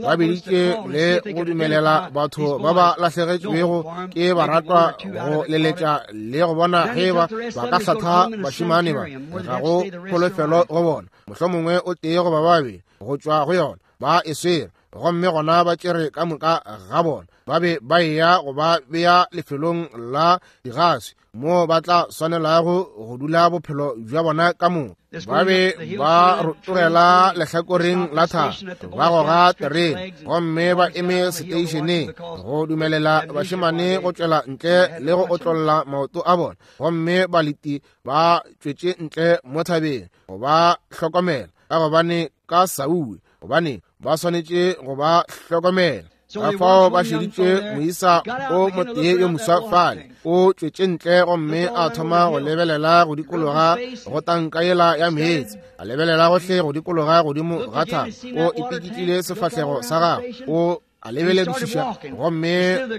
ba biditše le go dumelela batho ba ba lahlegetšwego ke baratwa go leletša le go bona ge ba ka hlatha bašemane ba. Ga go kholofelo go bona, mohlomongwe o tee goba babedi go tšwa go yona ba e swere, gomme gona ba tšere ka moka ga bona ba be ba eya go ba bea lefelong la digaswi moo ba tla swanelago go dula bophelo bja bona ka moka. Ba be ba rotogela lehlakoreng la thaba, ba goga terene, gomme ba eme seteišeneng go dumelela bašemane go tšwela ntle le go otlolla maoto a bona, gomme baleti ba tšwetše ntle mo thabeng go ba hlokomela, ka gobane ka sauwe, gobane ba swanetše go ba hlokomela. Ka fao ba šeditše moisa o motee yo moswa fale, o tšwetše ntle gomme a thoma go lebelela go dikologa go tanka yela ya meetse, a lebelela gohle go dikologa godimo ga thaba, o ipikitlile sefahlego sa gagwe, o a lebeledišiša, gomme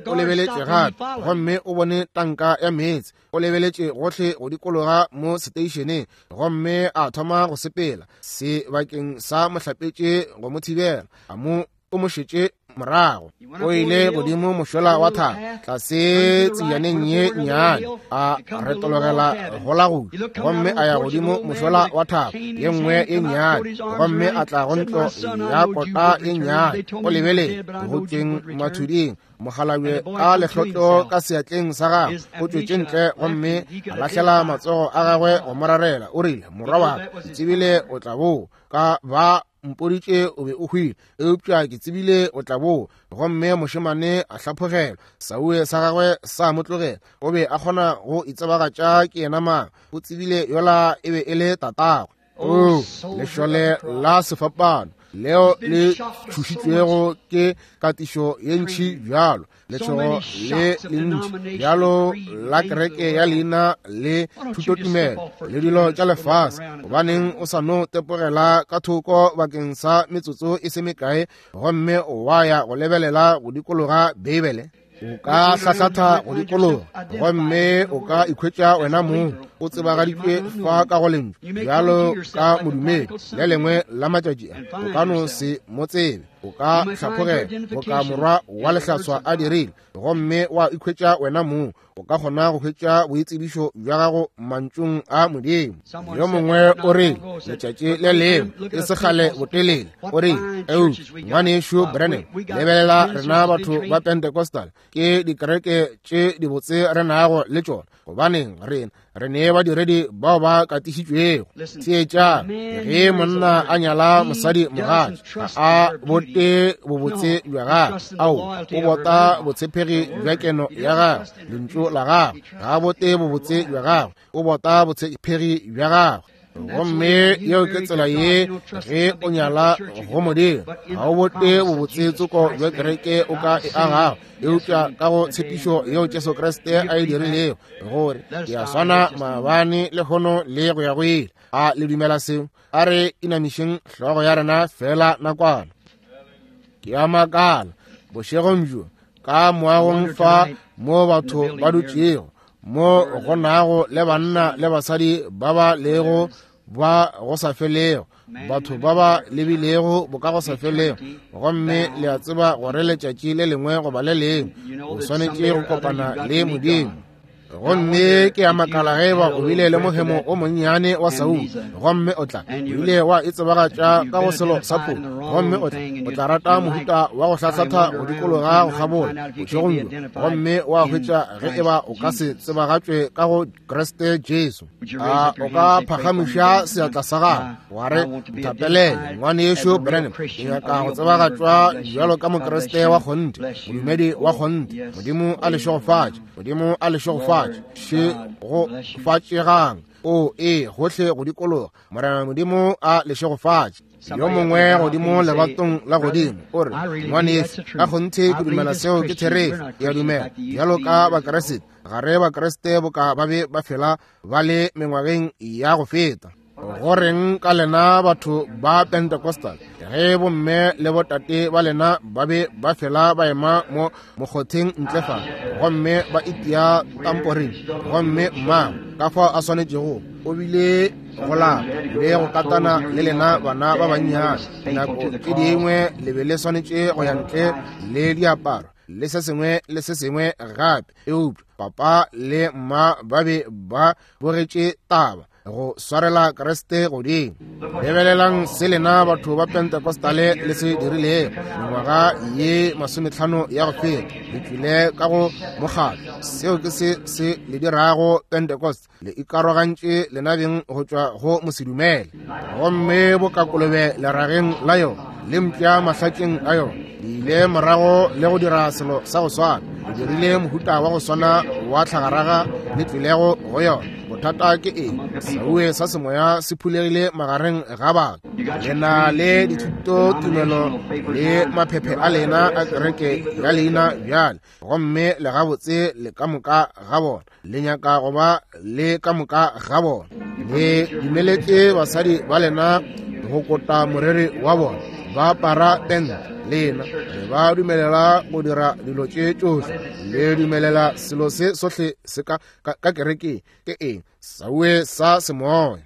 o lebeletše gape, gomme o bone tanka ya meetse, o lebeletše gohle go dikologa mo seteišeneng, gomme a thoma go sepela sebakeng sa mohlapetše go mo thibela, a mo o mo šetše morago. O ile godimo mošola wa thaba, tlase tsejaneng ye nnyane, a retologela go la go, gomme a ya godimo mošola wa thaba ye nngwe ye nnyane, gomme a tla go ntlo ya kota ye nnyane. O lebelele go tšweng mathuding, mokgalabje ka lehlotlo ka seatleng sa gagwe, o tšwetše ntle gomme a lahlela matsogo a gagwe go mo rarela. O rile, morwa wa ka, ke tsebile o tla boa, ka ba mpoditše o be o hwile, eupša ke tsebile o tla boa. Gomme mošemane a hlaphogelwa, sauwe sa gagwe sa mo tlogela. O be a kgona go itsebagatša ke yena mang, o tsebile yola e be e le tatagwe. O lešole la sefapano leo le tšhošitšwego ke katišo ye ntši bjalo, letšhogo le lentši bjalo la kereke ya leina le thutotumelo le dilo tša lefase, gobaneng o sa no tepogela ka thoko bakeng sa metsotso e se mekae gomme wa ya go lebelela go dikologa Beibele? O ka hlahlatha go dikologa gomme o ka ikhwetša wena mong o tsebagaditšwe fa ka go lentšu bjalo ka modumedi. Le lengwe la matšatši a o ka no se mo tsebe, o ka hlaphogela boka morwa wa lehlaswa a dirile, gomme wa ikhwetša wena mong o ka kgona go hwetša boitsebišo bja gago mantšung a Modimo. Yo mongwe o re letšatši le lengwe e se kgale botelele, o re, eupša ngwanešu Branham, lebelela rena batho ba Pentecostal, ke dikereke tše dibotse re nago le tšona, gobaneng rena re ne badiredi bao ba katišitšwego. Theetšang, ge monna a nyala mosadi mogatši, ga a bote bobotse bja gagwe, ao o bota botshepegi bja keno ya gagwe, lentšu la gagwe. Ga a bote bobotse bja gagwe, o bota botshepegi bja gagwe. Gomme yeo ke tsela ye ge o nyala go Modimo, ga o bote bobotse tsoko bja kereke o ka e agago, eupša ka go tshepišo yeo Jesu Kriste a e dirilego, gore ke a swana maabane lehono le go ya go ile. A le dumela seo? A re inamišeng hlogo ya rena fela nakwana. Ke a makala bošegong bjo ka moagong fa mo batho ba dutšego, mo go nago le banna le basadi ba ba lego ba go sa felego, batho ba ba lebilego boka go sa felego, gomme le a tseba gore letšatši le lengwe goba le lengwe o swanetše go kopana le Modimo. Gomme ke a makala ge eba o bile le mohemo o monnyane wa Saul, gomme o tla o ile wa e tsebagatša ka go selo sa phofu, gomme o tla rata mohuta wa go hlahlatha go dikologa go kgabola bošegong bjo, gomme wa hwetša ge eba o ka se tsebagatšwe ka go Kriste Jesu. A o ka phagamiša seatla sa gago wa re, nthapelele ngwanešu Branham, ke nyaka go tsebagatšwa bjalo ka Mokriste wa kgonthe, modumedi wa kgonthe. Modimo a le šegofatše. Modimo a le šegofatše. Šegofatšegang. O e gohle go dikologa. Morena Modimo a le šegofatše. Yo mongwe godimo lebatong la godimo o re, ngwanešu, ka kgonthe ke dumela seo ke therešo. Ke a dumela bjalo ka Bakriste, ga re Bakriste boka ba be ba fela ba le mengwageng ya go feta. Go reng ka lena batho ba Pentecostal, ge bomme le botate ba lena ba be ba fela ba ema mo mokgotheng ntle fa, gomme ba itia tamporing, gomme mmago ka fao a swanetšego o bile go lapa le go katana le lena bana ba bannyane, nako tše dingwe le be le swanetše go ya ntle le diaparo le se sengwe le se sengwe gape, eupša papa le mma ba be ba bogetše taba go swarela Kriste godimo. Lebelelang se lena batho ba Pentecostale le se dirilego mengwaga ye 50 ya go feta, le tlile ka go mokgatlo. Seo ke se se le dirago Pentecost, le ikarogantše lenabeng go tšwa go mosedumele, gomme bokakolobe lerageng la yona le mpša mahlatšeng a yona. Le ile morago le go dira selo sa go swana, le dirile mohuta wa go swana wa tlhagaraga le tlilego go yona. Bothata ke eng? Sauwe sa semoya se phulegile magareng ga batho. Le na le dithuto tumelo le maphephe a lena a kereke ya leina bjale, gomme le gabotse le ka moka ga bona, le nyaka go ba le ka moka ga bona. Le dumeletše basadi ba lena go kota moriri wa bona, ba apara tente, lena le ba dumelela go dira dilo tše tšohle, le dumelela selo se sohle se ka ka kerekeng. Ke eng? Sauwe sa semoya.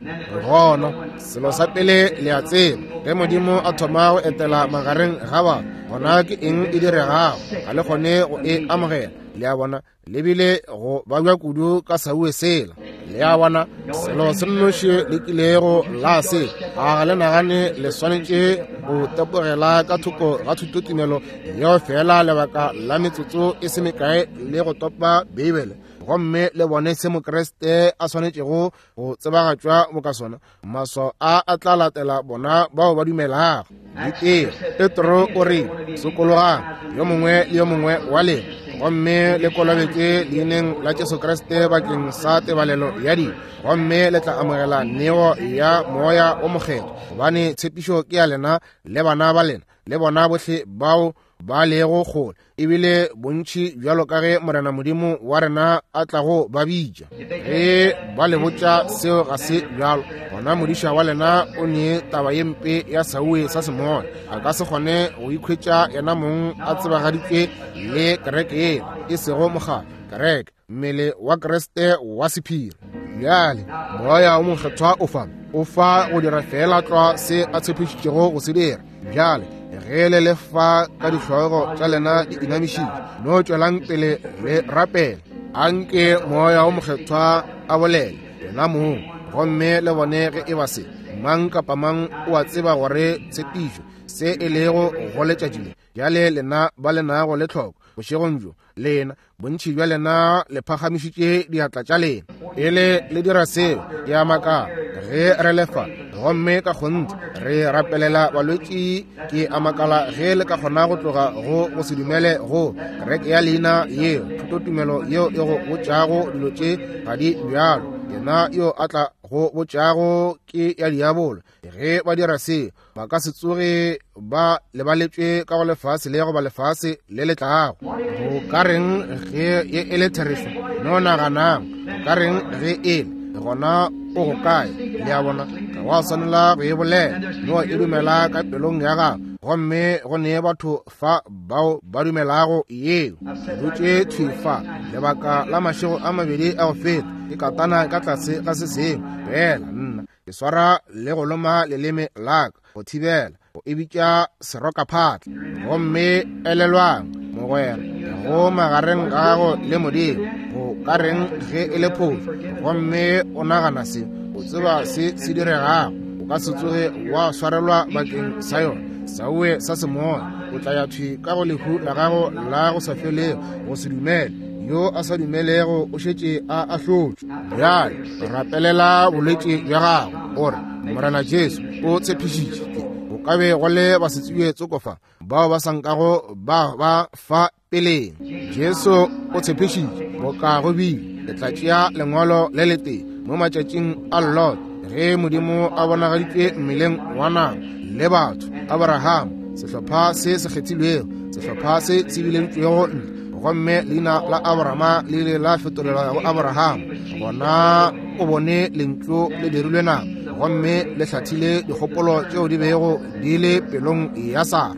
Gona selo sa pele le a tseba, ge Modimo a thoma go etela magareng ga batho, gona ke eng e diregago? Ga le kgone go e amogela. Le a bona, le bile go babja kudu ka sauwe sela. Le a bona, selo se nnoši le kilego la se, a ga le nagane le swanetše go tepogela ka thoko ga thutotumelo yeo fela lebaka la metsotso e se mekae le go topa Beibele, gomme le bone se Mokriste a swanetšego go tsebagatšwa boka sona. Maswao a a tla latela bona bao ba dumelago. Ditee Petro o re, sokologang yo mongwe le yo mongwe wa lena, gomme le kolobetše leineng la Jesu Kriste bakeng sa tebalelo ya dibe, gomme le tla amogela neo ya Moya o Mokgethwa, gobane tshepišo ke ya lena le bana ba lena le bona bohle bao ba lego kgole, ebile bontši bjalo ka ge Morena Modimo wa rena a tlago ba bitša. Ge ba le botša seo ga se bjalo, gona modiša wa lena o ne taba ye mpe ya sauwe sa semoya. A ka se kgone go ikhwetša yena mong a tsebagaditšwe le kereke yela, e sego mokgatlo, kereke, mmele wa Kriste wa sephiri. Bjale Moya o Mokgethwa o fa, o fa go dira feela tlwa se a tshepišitšego go se dira. Bjale ge le le fa ka dihlogo tša lena di inamišitše, no tšwelang pele le rapele. Anke Moya o Mokgethwa a bolele lena mong, gomme le bone ge e ba se mang kapa mang o a tseba gore tshepišo se e lego go letšatši le. Bjale lena ba le nago le tlhoko bošegong bjo, lena bontši bja lena le phagamišitše diatla tša lena pele le dira seo. Ke a makala ge re lefa, gomme ka kgonthe re rapelela balwetši. Ke a makala ge le ka kgona go tloga go go se dumele go kereke ya leina yeo, thutotumelo yeo e go botšago dilo tše ga di bjalo. Yena yo a tla go botšago ke ya diabolo. Ge ba dira seo, ba ka se tsoge ba lebaletšwe ka go lefase le goba lefase le le tlago. Go ka reng ge ye e le therešo? No naganang, go ka reng ge e le gona? O go kae? Le a bona, ga wa swanela go e bolela, no e dumela ka pelong ya gago. Gomme go ne batho fa bao ba dumelago yeo. Ke dutše thwi fa lebaka la mašego a mabedi a go feta, ke katana ka tlase ga se sengwe, fela nna ke swara le go loma leleme la ka go thibela go e bitša serokaphatla. Gomme elelwang, mogwera, go magareng ga gago le Modimo, go ka reng ge e le phošo, gomme o nagana se, o tseba se se diregago, o ka se tsoge wa swarelwa bakeng sa yona. Sauwe sa semoya, o tla ya thwi ka go lehu la gago la go sa felego, go se dumele. Yo a sa dumelego o šetše a ahlotšwe. Bjale rapelela bolwetši bja gago, gore Morena Jesu o tshepišitše go ka be go le basetsebje tsoko fa bao ba sa nkago ba ba fa peleng. Jesu o tshepišitše boka go bile, ke tla tšea lengwalo le letee mo matšatšing a Lot, ge Modimo a bonagaditšwe mmeleng wa nama le batho, Abraham, sehlopha se se kgethilwego, sehlopha se se bileditšwego ntle, gomme leina la Abrahama le ile la fetolelwa go Abraham. Gona o bone lentšu le dirilwe nama. gomme le hlathile dikgopolo tšeo di bego di le pelong ya Sara.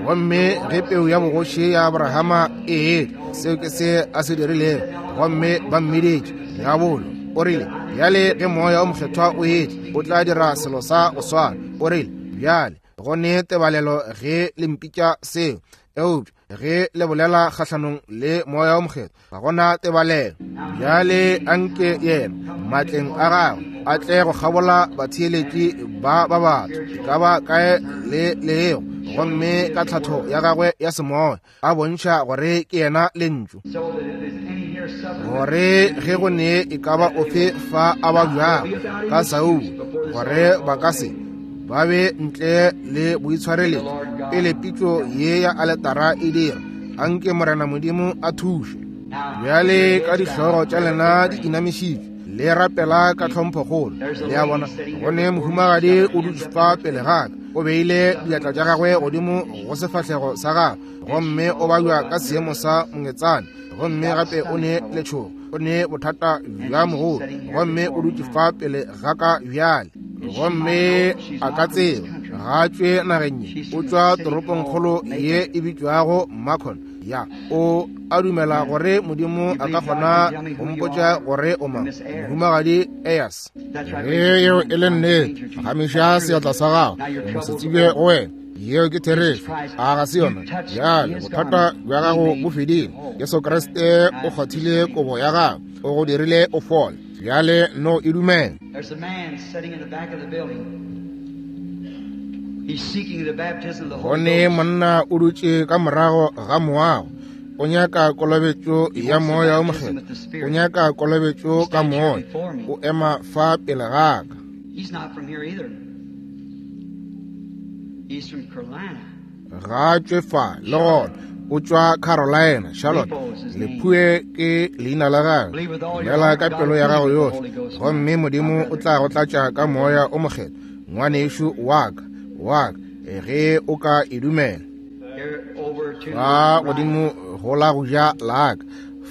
Gomme ge peu ya bogoši ya Abrahama e etla, seo ke se a se dirilego, gomme ba mmiditše diabolo. O rile, bjale ge Moya o Mokgethwa o etla, o tla dira selo sa go swana. O rile, bjale go ne tebalelo ge le mpitša seo, eupša ge le bolela kgahlanong le Moya o Mokgethwa, ga gona tebalelo. Bjale anke yena matleng a gagwe a tle go kgabola batheeletši ba ba batho e ka ba kae le lego, gomme ka tlhatho ya gagwe ya semoya a bontšha gore ke yena Lentšu, gore ge go ne e ka ba ofe fa a ba bjago ka Saul, gore ba ka se ba be ntle le boitshwareletšo pele pitšo ye ya aletara e dira. Anke Morena Modimo a thuše. Bjale ka dihlogo tša lena di inamišitšwe, le rapela ka tlhomphokgolo. Le a bona, go ne mohumagadi o dutše fa pele ga ka, o beile diatla tša gagwe godimo go sefahlego sa gagwe, gomme o babja ka seemo sa mongetsane, gomme gape o ne letšhogo, o ne bothata bja mogolo, gomme o dutše fa pele ga ka bjale. Gomme a ka tseba ga tšwe nageng ye, o tšwa toropongkgolo ye e bitšwago Macon. Ya, o a dumela gore Modimo a ka kgona go mpotša gore o mang? Mohumagadi Ayers. Ge yeo e le nnete, phagamiša seatla sa gago, mo se tsebe go wena. Yeo ke therešo, a ga se yona? Bjale bothata bja gago bo fedile. Jesu Kriste o kgwathile kobo ya gago, o go dirile o fole. Bjale no e dumela. There's a man sitting in the back of the building. He's seeking the baptism of the Holy Gone Ghost. monna o dutše ka morago ga moago, o nyaka kolobetšo ya Moya o Mokgethwa, o nyaka kolobetšo ka Moya, o ema fa pele ga ka. He's not from here either. He's from Carolina. Ga a tšwe fa le gona, o tšwa Carolina, Charlotte. Lephue ke leina la gagwe. Dumela ka pelo ya gago yohle, gomme Modimo o tla go tlatša ka Moya o Mokgethwa, ngwanešu wa ka, wa ka, ge o ka e dumela. Here over to Fa the right. godimo go la go ja la ka,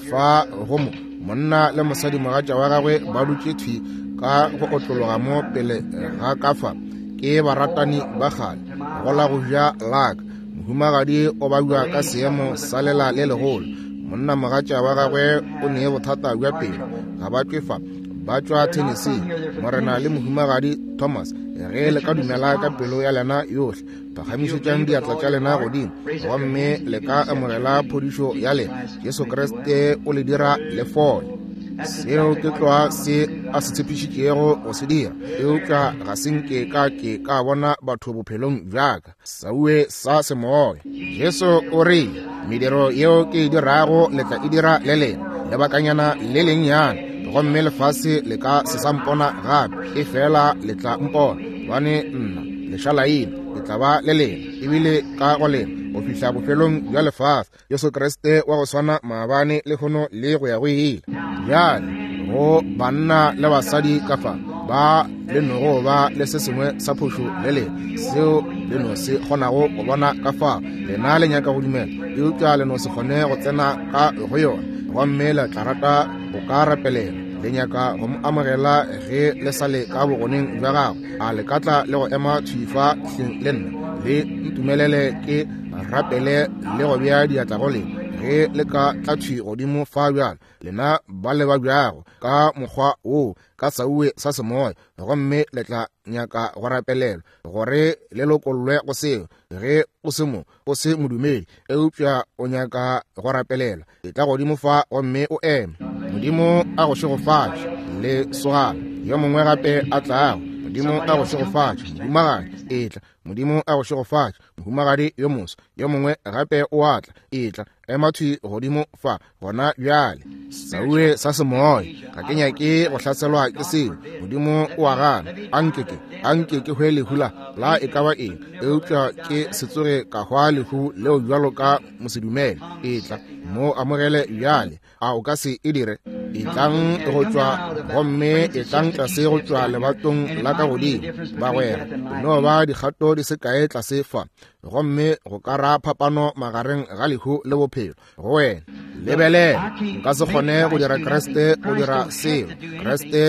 fa go mo monna le mosadi mogatša wa gagwe ba dutše thwi ka go otlologa mo pele ga ka fa, ke baratani ba kgale. Go la go ja la ka, mohumagadi o babja ka seemo sa lela le legolo, monna mogatša wa gagwe o ne bothata bja pelo, ga ba tšwe fa, ba tšwa Tennessee. Morena le mohumagadi Thomas, ge le ka dumela ka pelo ya lena yohle, phagamišetšang diatla tša lena godimo, gomme le ka amogela phodišo ya lena. Jesu Kriste o le dira le fole. Seo ke tloa se a se tshepišitšego go se dira, eupša ga se nke ka ke ka bona batho bophelong bja ka saue sa semoya. Jesu o rile, mediro yeo ke e dirago le tla e dira le lena, lebakanyana le lennyane, gomme lefase le ka se sa mpona gape, e fela le tla mpona, gobane nna lešalaina ke tla ba le lena, ebile ka go lena go fihla bofelong bja lefase. Jesu Kriste wa go swana maabane, lehono le go ya go ile. Bjale go banna le basadi ka fa ba le nogo ba le se sengwe sa phošo le lena, seo le no se kgonago go bona ka fa, lena le nyaka go dumela, eupša le no se kgone go tsena ka go yona, gomme le tla rata go ka rapelela, le nyaka go mo amogela ge le sa le ka bogoneng bja gagwe. A le ka tla le go ema thwi fa hleng le nna, le ntumelele ke rapele le go bea diatla go lena, ge le ka tla thwi godimo fa bjalo, lena ba le ba bjago ka mokgwa wo ka sauwe sa semoya, gomme le tla nyaka go rapelelwa gore le lokollwe go seo. Ge o se mo, o se modumedi, eupša o nyaka go rapelelwa, e tla godimo fa gomme o eme. Modimo a go šegofatše, le sogana yo mongwe gape a tlago. Modimo a go šegofatše, mohumagadi, etla. Modimo a go šegofatše, mohumagadi yo moso. Yo mongwe gape o a tla, etla, ema thwi godimo fa gona bjale. Saue sa semoya, ga ke nyake go hlaselwa ke seo. Modimo o a gana, anke ke hwe lehu la e ka ba eng, eupša ke se tsoge ka hwa lehu leo bjalo ka mosedumele. Etla, mo amogele bjale. A o ka se e dire? Etlang go tšwa, gomme etlang tlase go tšwa lebatong la ka godimo, bagwera. E no ba dikgato di se kae tlase fa, gomme go ka ra phapano magareng ga lehu le bophelo go wena. Lebelela, nka se kgone go dira Kriste go dira selo. Kriste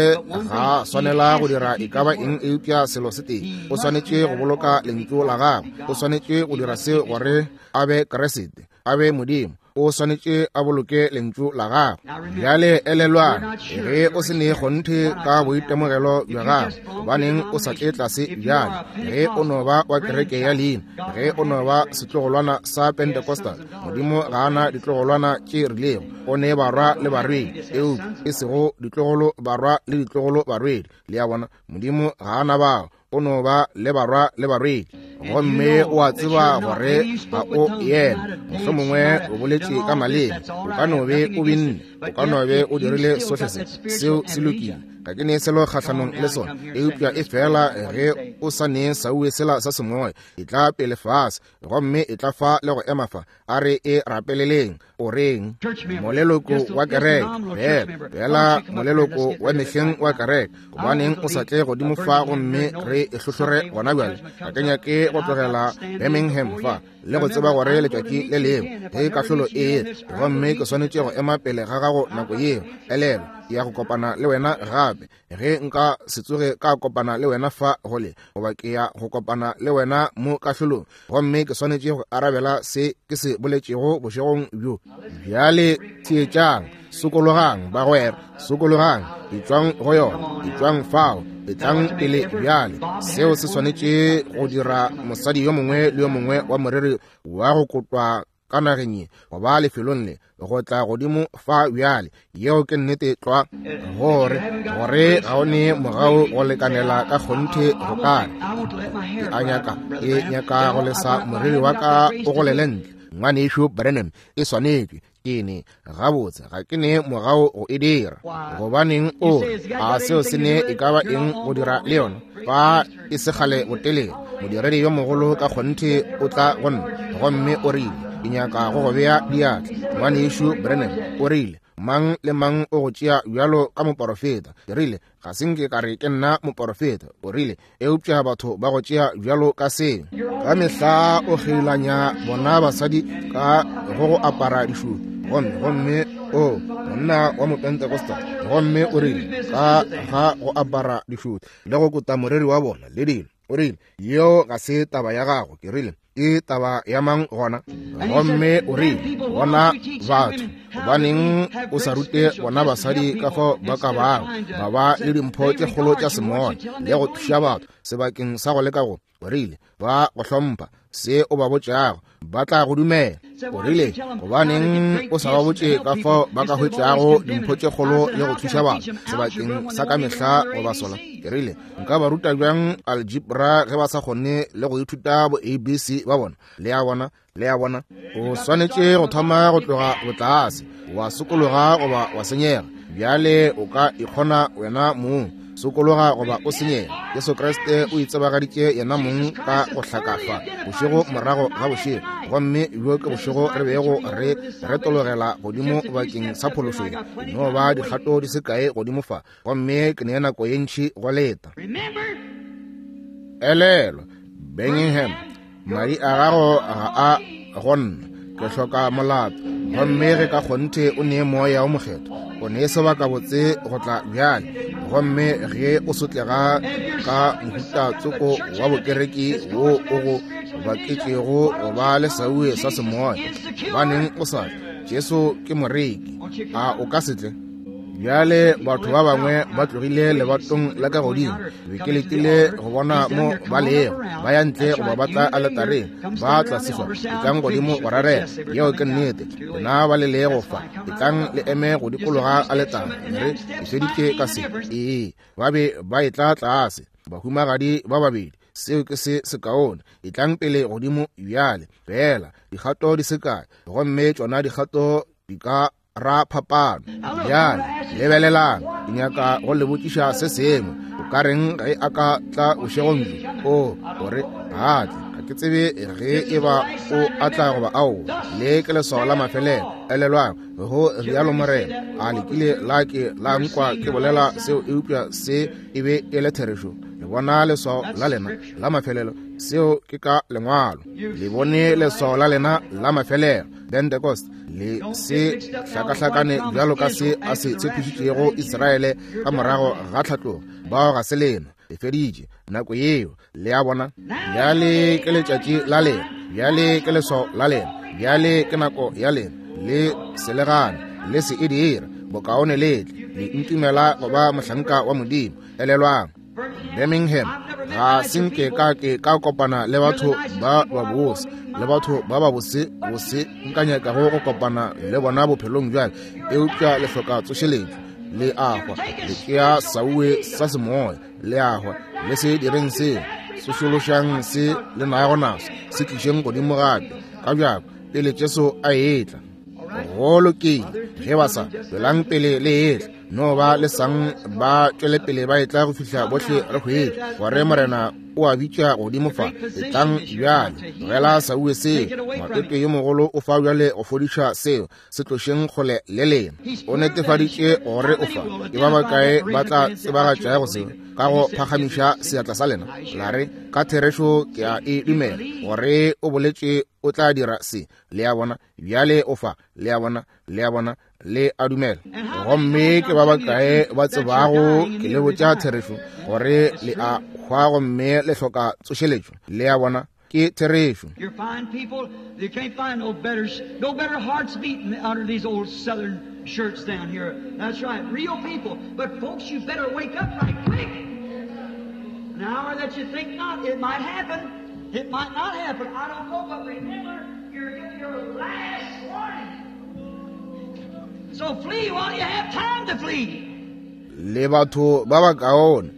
ga swanela go dira e ka ba eng eupša selo se tee. O swanetše go boloka lentšu la gagwe. O swanetše go dira seo gore a be Kriste, a be Modimo. O swanetše a boloke lentšu la gagwe. Bjale elelwang, ge o se ne kgonthe ka boitemogelo bja gago, gobaneng o sa tle tlase bjale? Ge o no ba wa kereke ya leina, ge o no ba setlogolwana sa Pentecostal, Modimo ga a na ditlogolwana tše rilego. O ne barwa le barwedi, eupša e sego ditlogolo barwa le ditlogolo barwedi. Le a bona, Modimo ga a na bao. O no ba le barwa le barwedi. Gomme o a tseba gore ga o yena. Mohlomongwe o boletše ka maleme, o ka no be o binne, o ka no be o dirile sohle se, seo se lokile. Ga ke ne selo kgahlanong le sona, eupša e fela ge o sa ne sauwe sela sa semoya, e tla pele fase, gomme e tla fa le go ema fa. A re e rapeleleng. O reng? Moleloko wa kereke, fela fela moleloko wa mehleng wa kereke, gobaneng o sa tle godimo fa gomme re e hlohlore gona bjale? Ga ke nyake go tlogela Birmingham fa le go tseba gore letšatši le lengwe ge kahlolo e etla, gomme ke swanetše go ema pele ga gago nako yeo. Elelwa, ke ya go kopana le wena gape. Ge nka se tsoge ka kopana le wena fa gole, goba ke ya go kopana le wena mo kahlolong, gomme ke swanetše go arabela se ke se boletšego bošegong bjo. Bjale theetšang, sokologang bagwera, sokologang, etšwang go yona, etšwang fao, etlang pele bjale. Seo se swanetše go dira mosadi yo mongwe le yo mongwe wa moreri wa go kotwa ka nageng ye, goba lefelong le, go tla godimo fa bjale. Yeo ke nnete tlwa, gore, gore ga o ne mogau go lekanela ka kgonthe go ka re, ke a nyaka, ke nyaka go lesa moriri wa ka o golele ntle. Ngwanešu Branham, e swanetšwe ke ne gabotse, ga ke ne mogau go e dira. Gobaneng o re, a seo se ne e ka ba eng go dira le yona? Fa e se kgale botelele, modiredi yo mogolo ka kgonthe o tla go nna, gomme o rile, ke nyaka go go bea diatla. Ngwanešu Branham, o rile, mang le mang o go tšea bjalo ka moporofeta. Ke rile, ga se nke ka re ke nna moporofeta. O rile, eupša batho ba go tšea bjalo ka seo. Ka mehla o kgeilanya bona basadi ka go go apara dišutu. Gomme, gomme, o, monna wa Mopentecostal, gomme o rile, ka ga go apara dišutu le go kota moreri wa bona le dilo. O rile, yeo ga se taba ya gago. Ke rile, ke taba ya mang gona? Gomme o rile, bona batho, gobaneng o sa rute bona basadi ka fao ba ka bago ba ba le dimpho tše kgolo tša semoya le go thuša batho sebakeng sa go leka go, o rile, ba go hlompha se o ba botšago, ba tla go dumela. O rile, gobaneng o sa ba botše ka fao ba ka hwetšago dimpho tše kgolo le go thuša batho sebakeng sa ka mehla go ba sola? Ke rile, nka ba ruta bjang algebra ge ba sa kgone le go ithuta bo ABC ba bona? Le a bona? Le a bona? O swanetše go thoma go tloga botlase, wa sokologa goba wa senyega. Bjale o ka ikgona wena mong, sokologa goba o senyega. Jesu Kriste o itsebagaditše yena mong ka go hlakafa bošego morago ga bošego, gomme bjo ke bošego re bego re retologela godimo bakeng sa phološo. No ba dikgato di se kae godimo fa, gomme ke ne nako ye ntši go leta. Elelwa, Birmingham, madi a gago ga a go nna, ke hloka molato. Gomme ge ka kgonthe o ne Moya wo Mokgethwa, o ne sebakabotse go tla bjale. Gomme ge o sotlega ka mohuta tsoko wa bokereki wo o go baketšego go ba le sauwe sa semoya, gobaneng o sa tle? Jesu ke moreki, a o ka se tle? Bjale batho ba bangwe ba tlogile lebatong la ka godimo. Be ke letile go bona mo ba lego, ba ya ntle goba ba tla aletareng, ba tla sefa, etlang godimo go rarela. Yeo ke nnete. Lena ba le lego fa, etlang le eme go dikologa aletare. Re ke feditše ka se. Ee, ba be ba etla tlase, bahumagadi ba babedi. Seo ke se sekaone. Etlang pele godimo bjale, feela dikgato di se kae, gomme tšona dikgato di ka ra phapano. Bjale lebelelang, ke nyaka go le botšiša se sengwe. O ka reng ge a ka tla bošegong bjo? O, gore ga tle. ke tsebe ge e ba o atla goba aowa. Le ke leswao la mafelelo. Elelwang, go rialo Morena. A le kile la ke la nkwa ke bolela seo, eupša se e be e le therešo. Le bona leswao la lena la mafelelo, seo ke ka Lengwalo. Le bone leswao la lena la mafelelo, Pentecost. Le se hlakahlakane bjalo ka se a se tshepišitšego Israele ka morago ga tlhatlogo. Bao ga se lena. E feditše nako yeo. Le a bona? Bjale ke letšatši la lena, bjale ke leswao la lena, bjale ke nako ya lena. Le se le gane, le se e dire, bokaone le tle le ntumela go ba mohlanka wa Modimo. Elelwang, Birmingham, ga se nke ka ke ka kopana le batho ba babose, le batho ba babose bose nka nyakago go kopana le bona bophelong bjale, eupša le hloka tsošeletšo. Le a hwa, le tšea sauwe sa semoya, le a hwa. Le se direng seo, sošološang se le nago naso, se tlišeng godimo gape ka bjako pele Jesu a etla. Go lokile, ge ba sa tswelang pele le etla, no ba le sang ba tšwele pele ba etla go fihla bohle re hwetša gore Morena o a bitša godimo fa. Etlang bjale, tlogela sauwe seo. Matete yo mogolo o fa bjale go fodiša seo. Se tlošeng kgole le lena. O netefaditše gore o fa. Ke ba bakae ba tla tsebagatšago seo ka go phagamiša seatla sa lena, la re, Ka therešo ke a e dumela gore o boletše o tla dira se. Le a bona? Bjale o fa. Le a bona? Le a bona? Le a dumela. Gomme ke ba bakae ba tsebago ke le botša therešo gore le a hwa gomme le hloka tsošeletšo? Le a bona? Ke therešo. You're fine people. You can't find no better, no better hearts beating under these old southern shirts down here. That's right, real people. But folks, you better wake up right quick. An hour that you think not, it might happen. It might not happen. I don't know, but remember, you're getting your last warning. So flee while you have time to flee. Le batho ba bakaone,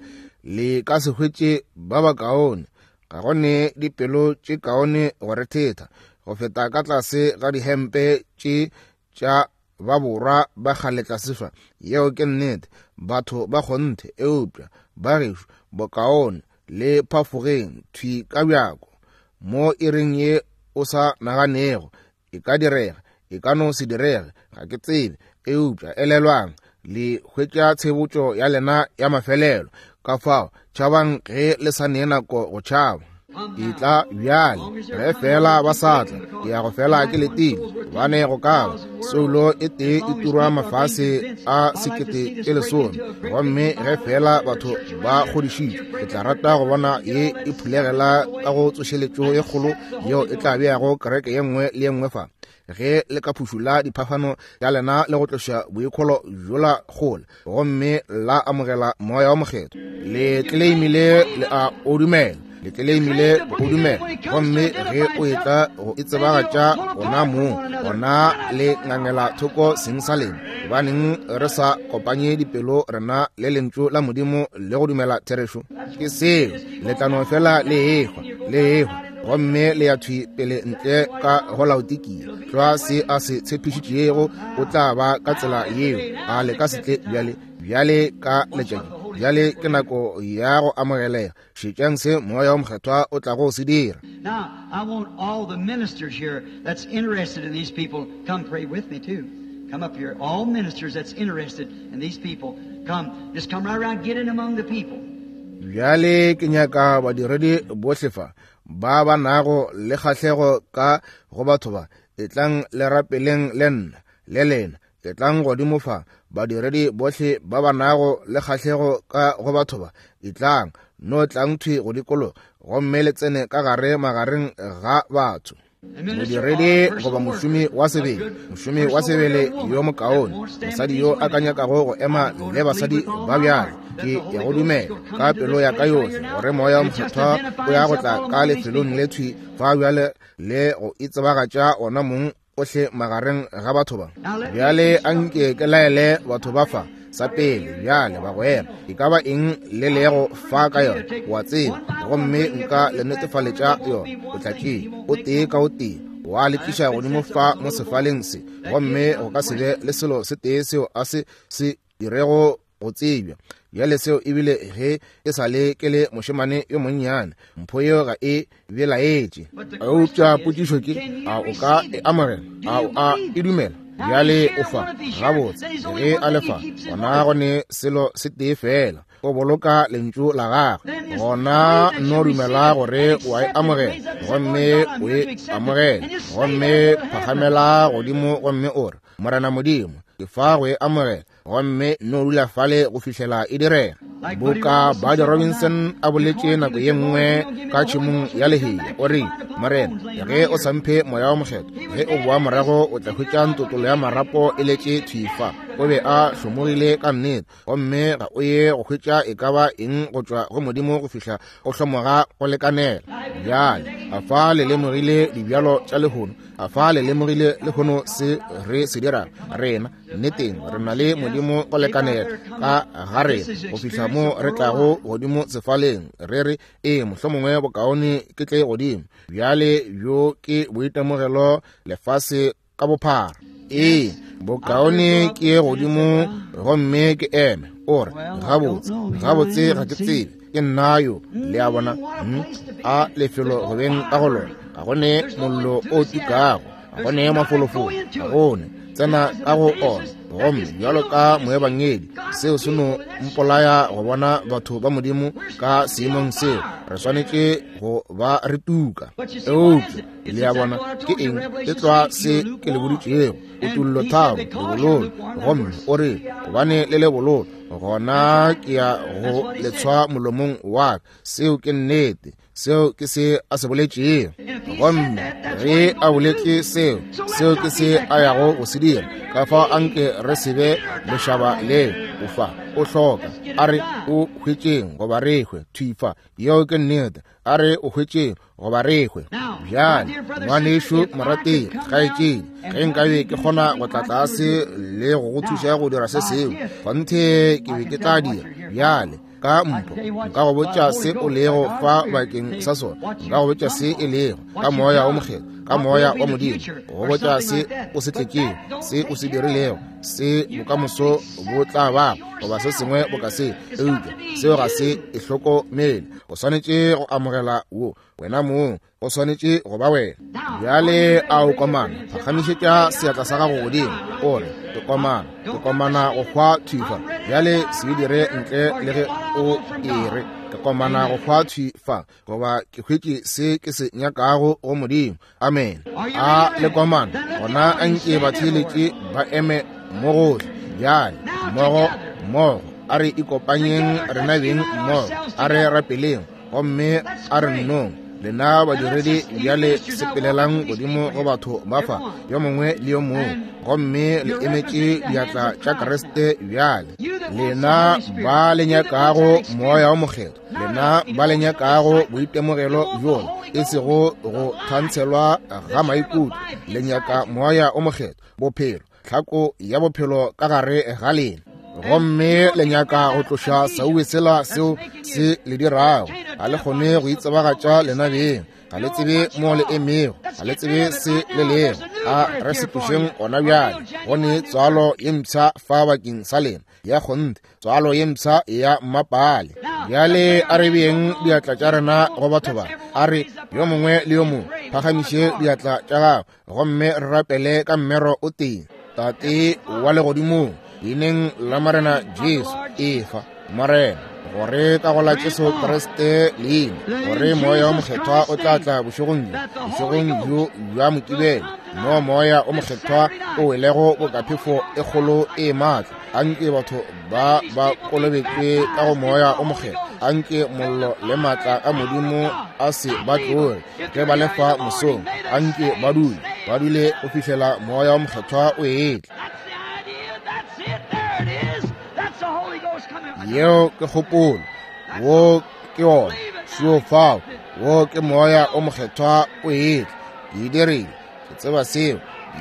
le ka se hwetše ba bakaone. Ga go ne dipelo tše kaone go rethetha go feta ka tlase ga dihempe tše tša ba borwa ba kgale tlase fa. Yeo ke nnete, batho ba kgonthe, eupša ba gešo bokaone le phafogeng thwi ka bjako mo iring ye o sa naganego. E ka direga, e ka no se direge, ga ke tsebe. Eupša elelwang, le hwetša tshebotšo ya lena ya mafelelo. Ka fao, tšhabang ge le sa nee nako go tšhaba. Etla bjale, ge fela ba sa tla, ke ya go fela ke letile, gobane go ka ba soulo e tee e turwa mafase a 10,000. Gomme ge fela batho ba kgodišitšwe, ke tla rata go bona ye e phulegela ka go tsošeletšo ye kgolo yeo e tla beago kereke ye nngwe le ye nngwe fa. Ge le ka phušula diphafano tša lena le go tloša boikholo bjola kgole, gomme la amogela Moya wa Mokgethwa, le tleleimile le a o dumela, le tleleimile go o dumela. Gomme ge o etla go e tsebagatša gona moo, gona le ngangela thoko seng sa lena. Gobaneng re sa kopanye dipelo rena le Lentšu la Modimo le go dumela therešo? Ke seo, le tla no fela le ehwa, le ehwa, gomme le ya thwi pele ntle ka go Laodikia. Tlwa se a se tshepišitšego, o tla ba ka tsela yeo. A le ka se tle bjale, bjale ka letšatši? Bjale ke nako ya go amogelega. Šetšang se Moya wo Mokgethwa o tlago go se dira. Now, I want all the ministers here that's interested in these people, come pray with me too. Come up here. All ministers that's interested in these people, come. Just come right around, get in among the people. Bjale ke nyaka badiredi bohle fa ba ba nago le kgahlego ka go batho ba, etlang le rapeleng le nna le lena. Etlang godimo fa, badiredi bohle ba ba nago le kgahlego ka go batho ba, etlang, no tlang thwi go dikologa gomme le tsene ka gare magareng ga batho. Modiredi goba mošomi wa sebele, mošomi wa sebele yo mokaone, mosadi yo a ka nyakago go ema le basadi ba bjalo, ke ya go dumela ka pelo ya ka yohle gore Moya wo Mokgethwa o ya go tla ka lefelong le thwi fa bjale le go itsebagatša ona mong ohle magareng ga batho ba. Bjale a nke ke laele batho ba fa sa pele bjale, bagwera, e ka ba eng le lego fa ka yona, wa tseba, gomme nka le netefaletša yona. O tla tšea o tee ka o tee wa le tliša godimo fa mo sefaleng se, gomme go ka se be le selo se tee seo a se se dirego. go tsebja. Bjale seo ebile ge e sa le ke le mošemane yo monnyane, mpho yeo ga e belaetše. Eupša potšišo ke, a o ka e amogela? A o a e dumela? Bjale o fa gabotse. Ge a le fa, gona go ne selo se tee fela, o boloka lentšu la gagwe. Gona no dumela gore o a e amogela, gomme o e amogele, gomme phagamela godimo gomme o re, Morena Modimo, ke fa go e amogela, gomme no dula fale go fihlela e direga. Boka Buddy Robinson a boletše nako ye nngwe ka tšhemong ya lehea, o re, Morena, ge o sa mphe moya wa mokgethwa, ge o boa morago o tla hwetša ntotolo ya marapo e letše thwi fa. O be a hlomogile ka nnete, gomme ga o ye go hwetša e ka ba eng go tšwa go Modimo go fihla o hlomoga go lekanela. Bjale, a fa le lemogile dibjalo tša lehono? A fa le lemogile lehono se re se dirago? Rena nneteng re na le Modimo go lekanela ka ga rena go fihla mo re tlago godimo sefaleng re re, ee, mohlomongwe bokaone ke tle godimo. Bjale bjo ke boitemogelo lefase ka bophara. Ee, bokaone ke ye godimo gomme ke eme. O re, gabotse, gabotse ga ke tsebe, ke nna yo. Le a bona? A lefelo go beng ka go lona, ga go ne mollo o tukago, ga go ne mafolofolo, ga go ne tsena ka go ona. Gomme bjalo ka moebangedi, seo se no mpolaya go bona batho ba Modimo ka seemong seo. Re swanetše go ba re tuka. Eupša le a bona ke eng? E tlwa se ke le boditšego, kutollo 3, lebololo. Gomme o re, gobane le le bololo, gona ke ya go le tshwa molomong wa ka. Seo ke nnete. Seo ke se a se boletšego. Gomme ge a boletše seo, seo ke se a yago go se dira. Ka fao anke re se be lešaba leo. O fa, o hloka, a re o hwetšeng goba re hwe. Thwi fa, yeo ke nnete. A re o hwetšeng goba re hwe. Bjale, ngwanešu morategi, kgaetšedi, ge nkabe ke kgona go tla tlase le go go thuša go dira se sengwe, kgonthe ke be ke tla dira. Bjale, ka mpho nka go botša se o lego fa bakeng sa sona, nka go botša se e lego ka moya o mokgethwa, ka moya wa Modimo, go botša se o se tletšego, se o se dirilego, se bokamoso bo tla ba, goba se sengwe boka se. Eupša seo ga se e hlokomele. O swanetše go amogela wo wena mong, o swanetše go ba wena. Bjale a o komana, phagamišetša seatla sa gago godimo, o re, ke komana, ke komana go hwa thwi fa. Bjale se e dire ntle le ge o e re, ke komana go hwa thwi fa, goba ke hwetše se ke se nyakago go Modimo. Amen. A le komana, gona a nke batheeletše ba eme mo gohle. Bjale mmogo, mmogo, a re ikopanyeng rena beng mmogo, a re rapeleng, gomme a re nnong. Lena badiredi bjale sepelelang godimo go batho ba fa, yo mongwe le yo mongwe, gomme le emetše diatla tša Kriste bjale. Lena ba le nyakago moya o mokgethwa, lena ba le nyakago boitemogelo bjola, e sego go thantshelwa ga maikutlo, le nyaka moya o mokgethwa, bophelo, tlhako ya bophelo ka gare ga lena. Gomme le nyaka go tloša sauwe sela seo se le dirago. Ga le kgone go itsebagatša lena beng, ga le tsebe mo le emego, ga le tsebe se le lego. A re se tlošeng gona bjale. Go ne tswalo ye mpsha fa bakeng sa lena, ya kgonthe, tswalo ye mpsha ya mmapale. Bjale a re beeng diatla tša rena go batho ba. A re yo mongwe le yo mongwe phagamiše diatla tša gago, gomme re rapele ka mmero o tee. Tate wa legodimong, leineng la Morena Jesu, efa, Morena, gore ka go la Jesu Kriste leina, gore moya o mokgethwa o tla tla bošegong bjo, bošegong bjo bja Mokibelo, mo moya o mokgethwa o welego bokaphefo e kgolo e maatla. Anke batho ba ba kolobetšwe ka go moya o mokgethwa. Anke mollo le maatla a Modimo a se ba tloge ge ba lefa mosong. Anke ba dule, ba dule go fihlela moya o mokgethwa o etla. Yeo ke kgopolo, wo ke wona, šoo fao, wo ke moya o mokgethwa o etla. Ke e dirile, ke tseba seo.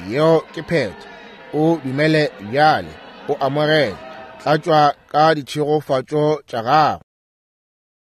Yeo ke phetho. O dumele bjale, o amogele, tlatšwa ka ditšhegofatšo tša gago.